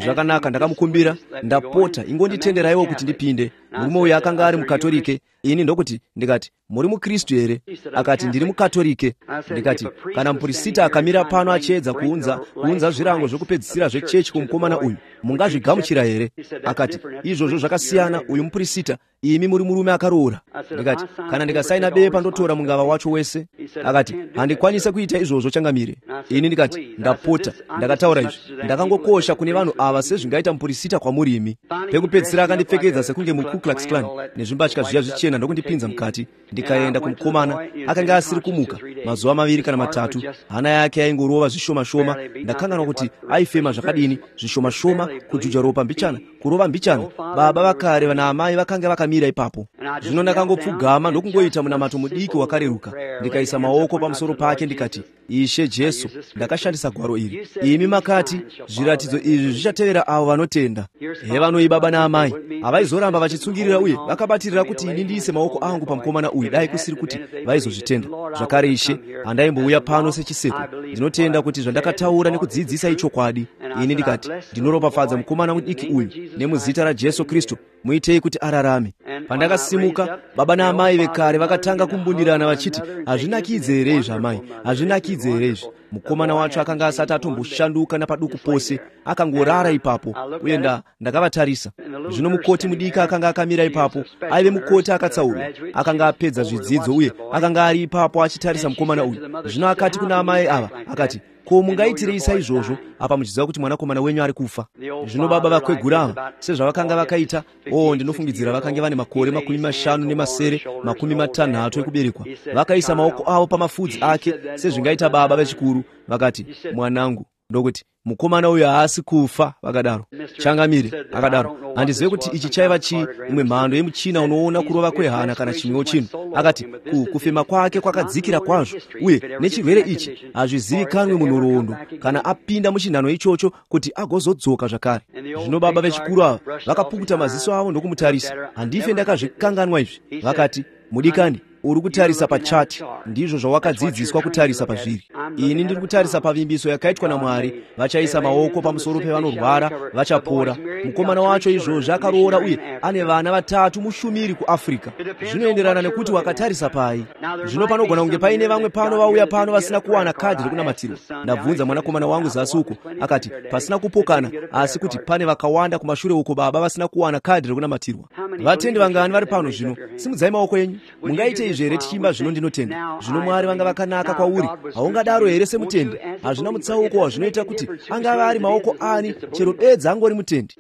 Zvakanaka, ndakamukumbira, ndapota ingonditenderaiwo kuti ndipinde. Murume uyu akanga ari mukatolike. Ini ndokuti ndikati, muri mukristu here? Akati, ndiri mukatolike. Ndikati, kana mupurisita akamira pano achiedza kuunza kuunza zvirango zvokupedzisira zvechechi kumukomana uyu, mungazvigamuchira here? Akati, izvozvo zvakasiyana, uyu mupurisita, imi muri murume akaroora. Ndikati, kana ndikasaina bepa ndotora mungava wacho wese? Akati, handikwanise kuita izvozvo changamire. Ini ndikati, ndapota, ndakataura izvi. Ndakangokosha kune vanhu tsopano awa sezvingaita mupurisita kwamurimi. Pekupedzisira akandipfekedza sekunge mu Ku Klux Klan nezvimbatya zviya zvichena ndokundipinza mukati. Ndikaenda kumukomana, akanga asiri kumuka mazuva maviri kana matatu, hana yake yaingorova zvishoma shoma. Ndakanganwa kuti aifema zvakadini, zvishoma shoma, kujuja ropa mbichana, kurova mbichana. Baba vakare vana amai vakanga vakamira ipapo. Zvino ndakangopfugama ndokungoita munamato mudiki wakareruka. Ndikaisa maoko pamusoro pake ndikati, Ishe Jesu, ndakashandisa gwaro iri. Imi makati zviratidzo izvi zvichatevera avo vanotenda. Hevanoi baba naamai avaizoramba vachitsungirira uye vakabatirira kuti ini ndiise maoko angu pamukomana uyu, dai kusiri kuti vaizozvitenda. Zvakare Ishe, handaimbouya pano sechiseko. Ndinotenda kuti zvandakataura nekudzidzisa ichokwadi. Ini ndikati, ndinoropafadza mukomana mudiki uyu nemuzita raJesu Kristu, muitei kuti ararame. Pandakasimuka, baba naamai vekare vakatanga kumbundirana vachiti, hazvinakidze here izvi amai, hazvinakidze here izvi. Mukomana wacho akanga asati atomboshanduka napaduku pose, akangorara ipapo, uye nda ndakavatarisa. Zvino mukoti mudiki akanga akamira ipapo, aive mukoti akatsaurwa, akanga apedza zvidzidzo uye akanga ari ipapo achitarisa mukomana uyu. Zvino akati kuna amai ava, akati, ko mungaitirei saizvozvo apa muchiziva kuti mwanakomana wenyu ari kufa? Zvino baba vakwegura ava sezvavakanga vakaita, o ndinofungidzira vakanga vane makore makumi mashanu nemasere makumi matanhatu ekuberekwa, vakaisa maoko avo pamafudzi ake sezvingaita baba vechikuru. Vakati, mwanangu, ndokuti mukomana uyu haasi kufa. Vakadaro, changamire. Akadaro, handizive kuti ichi chaiva chii, imwe mhando yemuchina unoona kurova kwehana kana chimwewo chino. Akati, ku kufema kwake kwakadzikira kwazvo, uye nechirwere ichi hazvizivikanwi munhoroondo kana apinda muchinhano ichocho kuti agozodzoka zvakare. Zvino baba vechikuru ava vakapukuta maziso avo ndokumutarisa. Handife ndakazvikanganwa izvi. Vakati, mudikani, uri kutarisa pachati, ndizvo zvawakadzidziswa kutarisa pazviri. Ini ndiri kutarisa pavimbiso yakaitwa naMwari, vachaisa maoko pamusoro pevanorwara vachapora. Mukomana wacho izvozvo akaroora uye ane vana vatatu mushumiri kuAfrica. Zvinoenderana nekuti wakatarisa pai. Zvino panogona kunge paine vamwe pano vauya pano vasina kuwana kadhi rekunamatiro. Ndabvunza mwanakomana wangu zasi uko, akati pasina kupokana, asi kuti pane vakawanda kumashure uko baba vasina kuwana kadhi rekunamatirwa. Vatendi vangani vari pano zvino? Simudzai maoko enyu. Mungaite izvi here tichimba zvino ndinotenda. Zvino Mwari vanga vakanaka kwauri. Haungadaro here semutendi? Hazvina mutsauko wazvinoita kuti angava ari maoko ani chero bedza angori mutendi.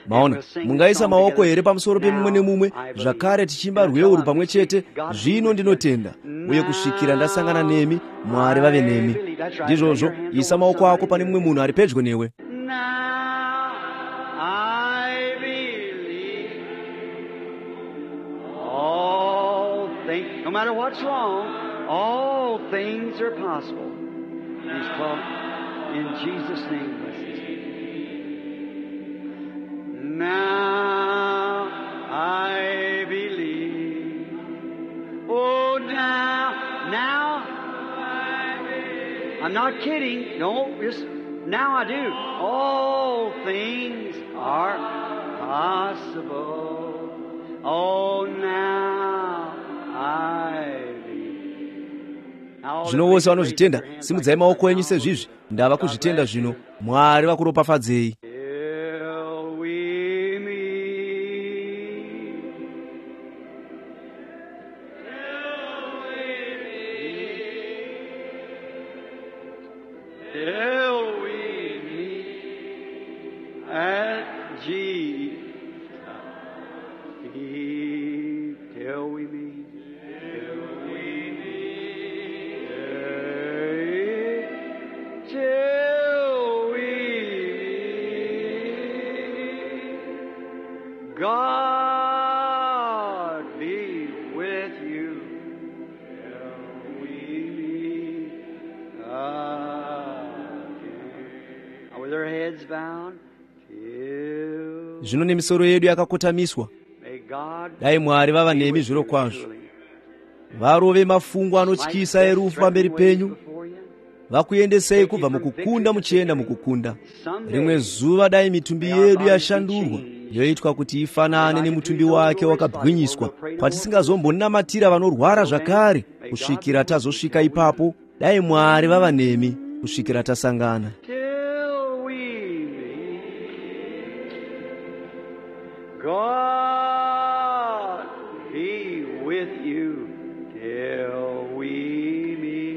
Maona, mungaisa maoko here pamusoro pemumwe nemumwe, zvakare tichimba rweuru pamwe chete. Zvino ndinotenda, uye kusvikira ndasangana nemi, Mwari vave nemi. Ndizvozvo, isa maoko ako pane mumwe munhu ari pedyo newe.
No matter what's wrong, all things are possible. He's called in Jesus' name. Now I believe. Oh, now, now I believe. I'm not kidding. No, just now I do. All things are possible. Oh, now.
Zvino vose vanozvitenda, simudzai maoko enyu sezvizvi. Ndava kuzvitenda zvino. Mwari vakuropafadzei.
God be with you till we meet again. With our heads bowed till.
Zvino nemisoro yedu yakakotamiswa. Dai Mwari vava nemi zviro kwazvo. Varove mafungo anotyisa erufu pamberi penyu. Vakuendesei kubva mukukunda muchienda mukukunda. Rimwe zuva dai mitumbi yedu yashandurwa, yoitwa kuti ifanane nemutumbi wake wakabwinyiswa, kwatisingazombonnamatira vanorwara zvakare, kusvikira tazosvika ipapo. Dai Mwari vava nemi kusvikira tasangana.
God be with you till we meet.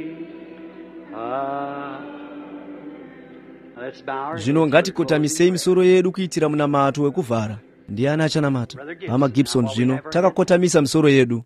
zvino ngatikotamise misoro yedu kuitira munamato wekuvhara. Ndiani achanamata? Mama Gibson. Zvino takakotamisa misoro yedu.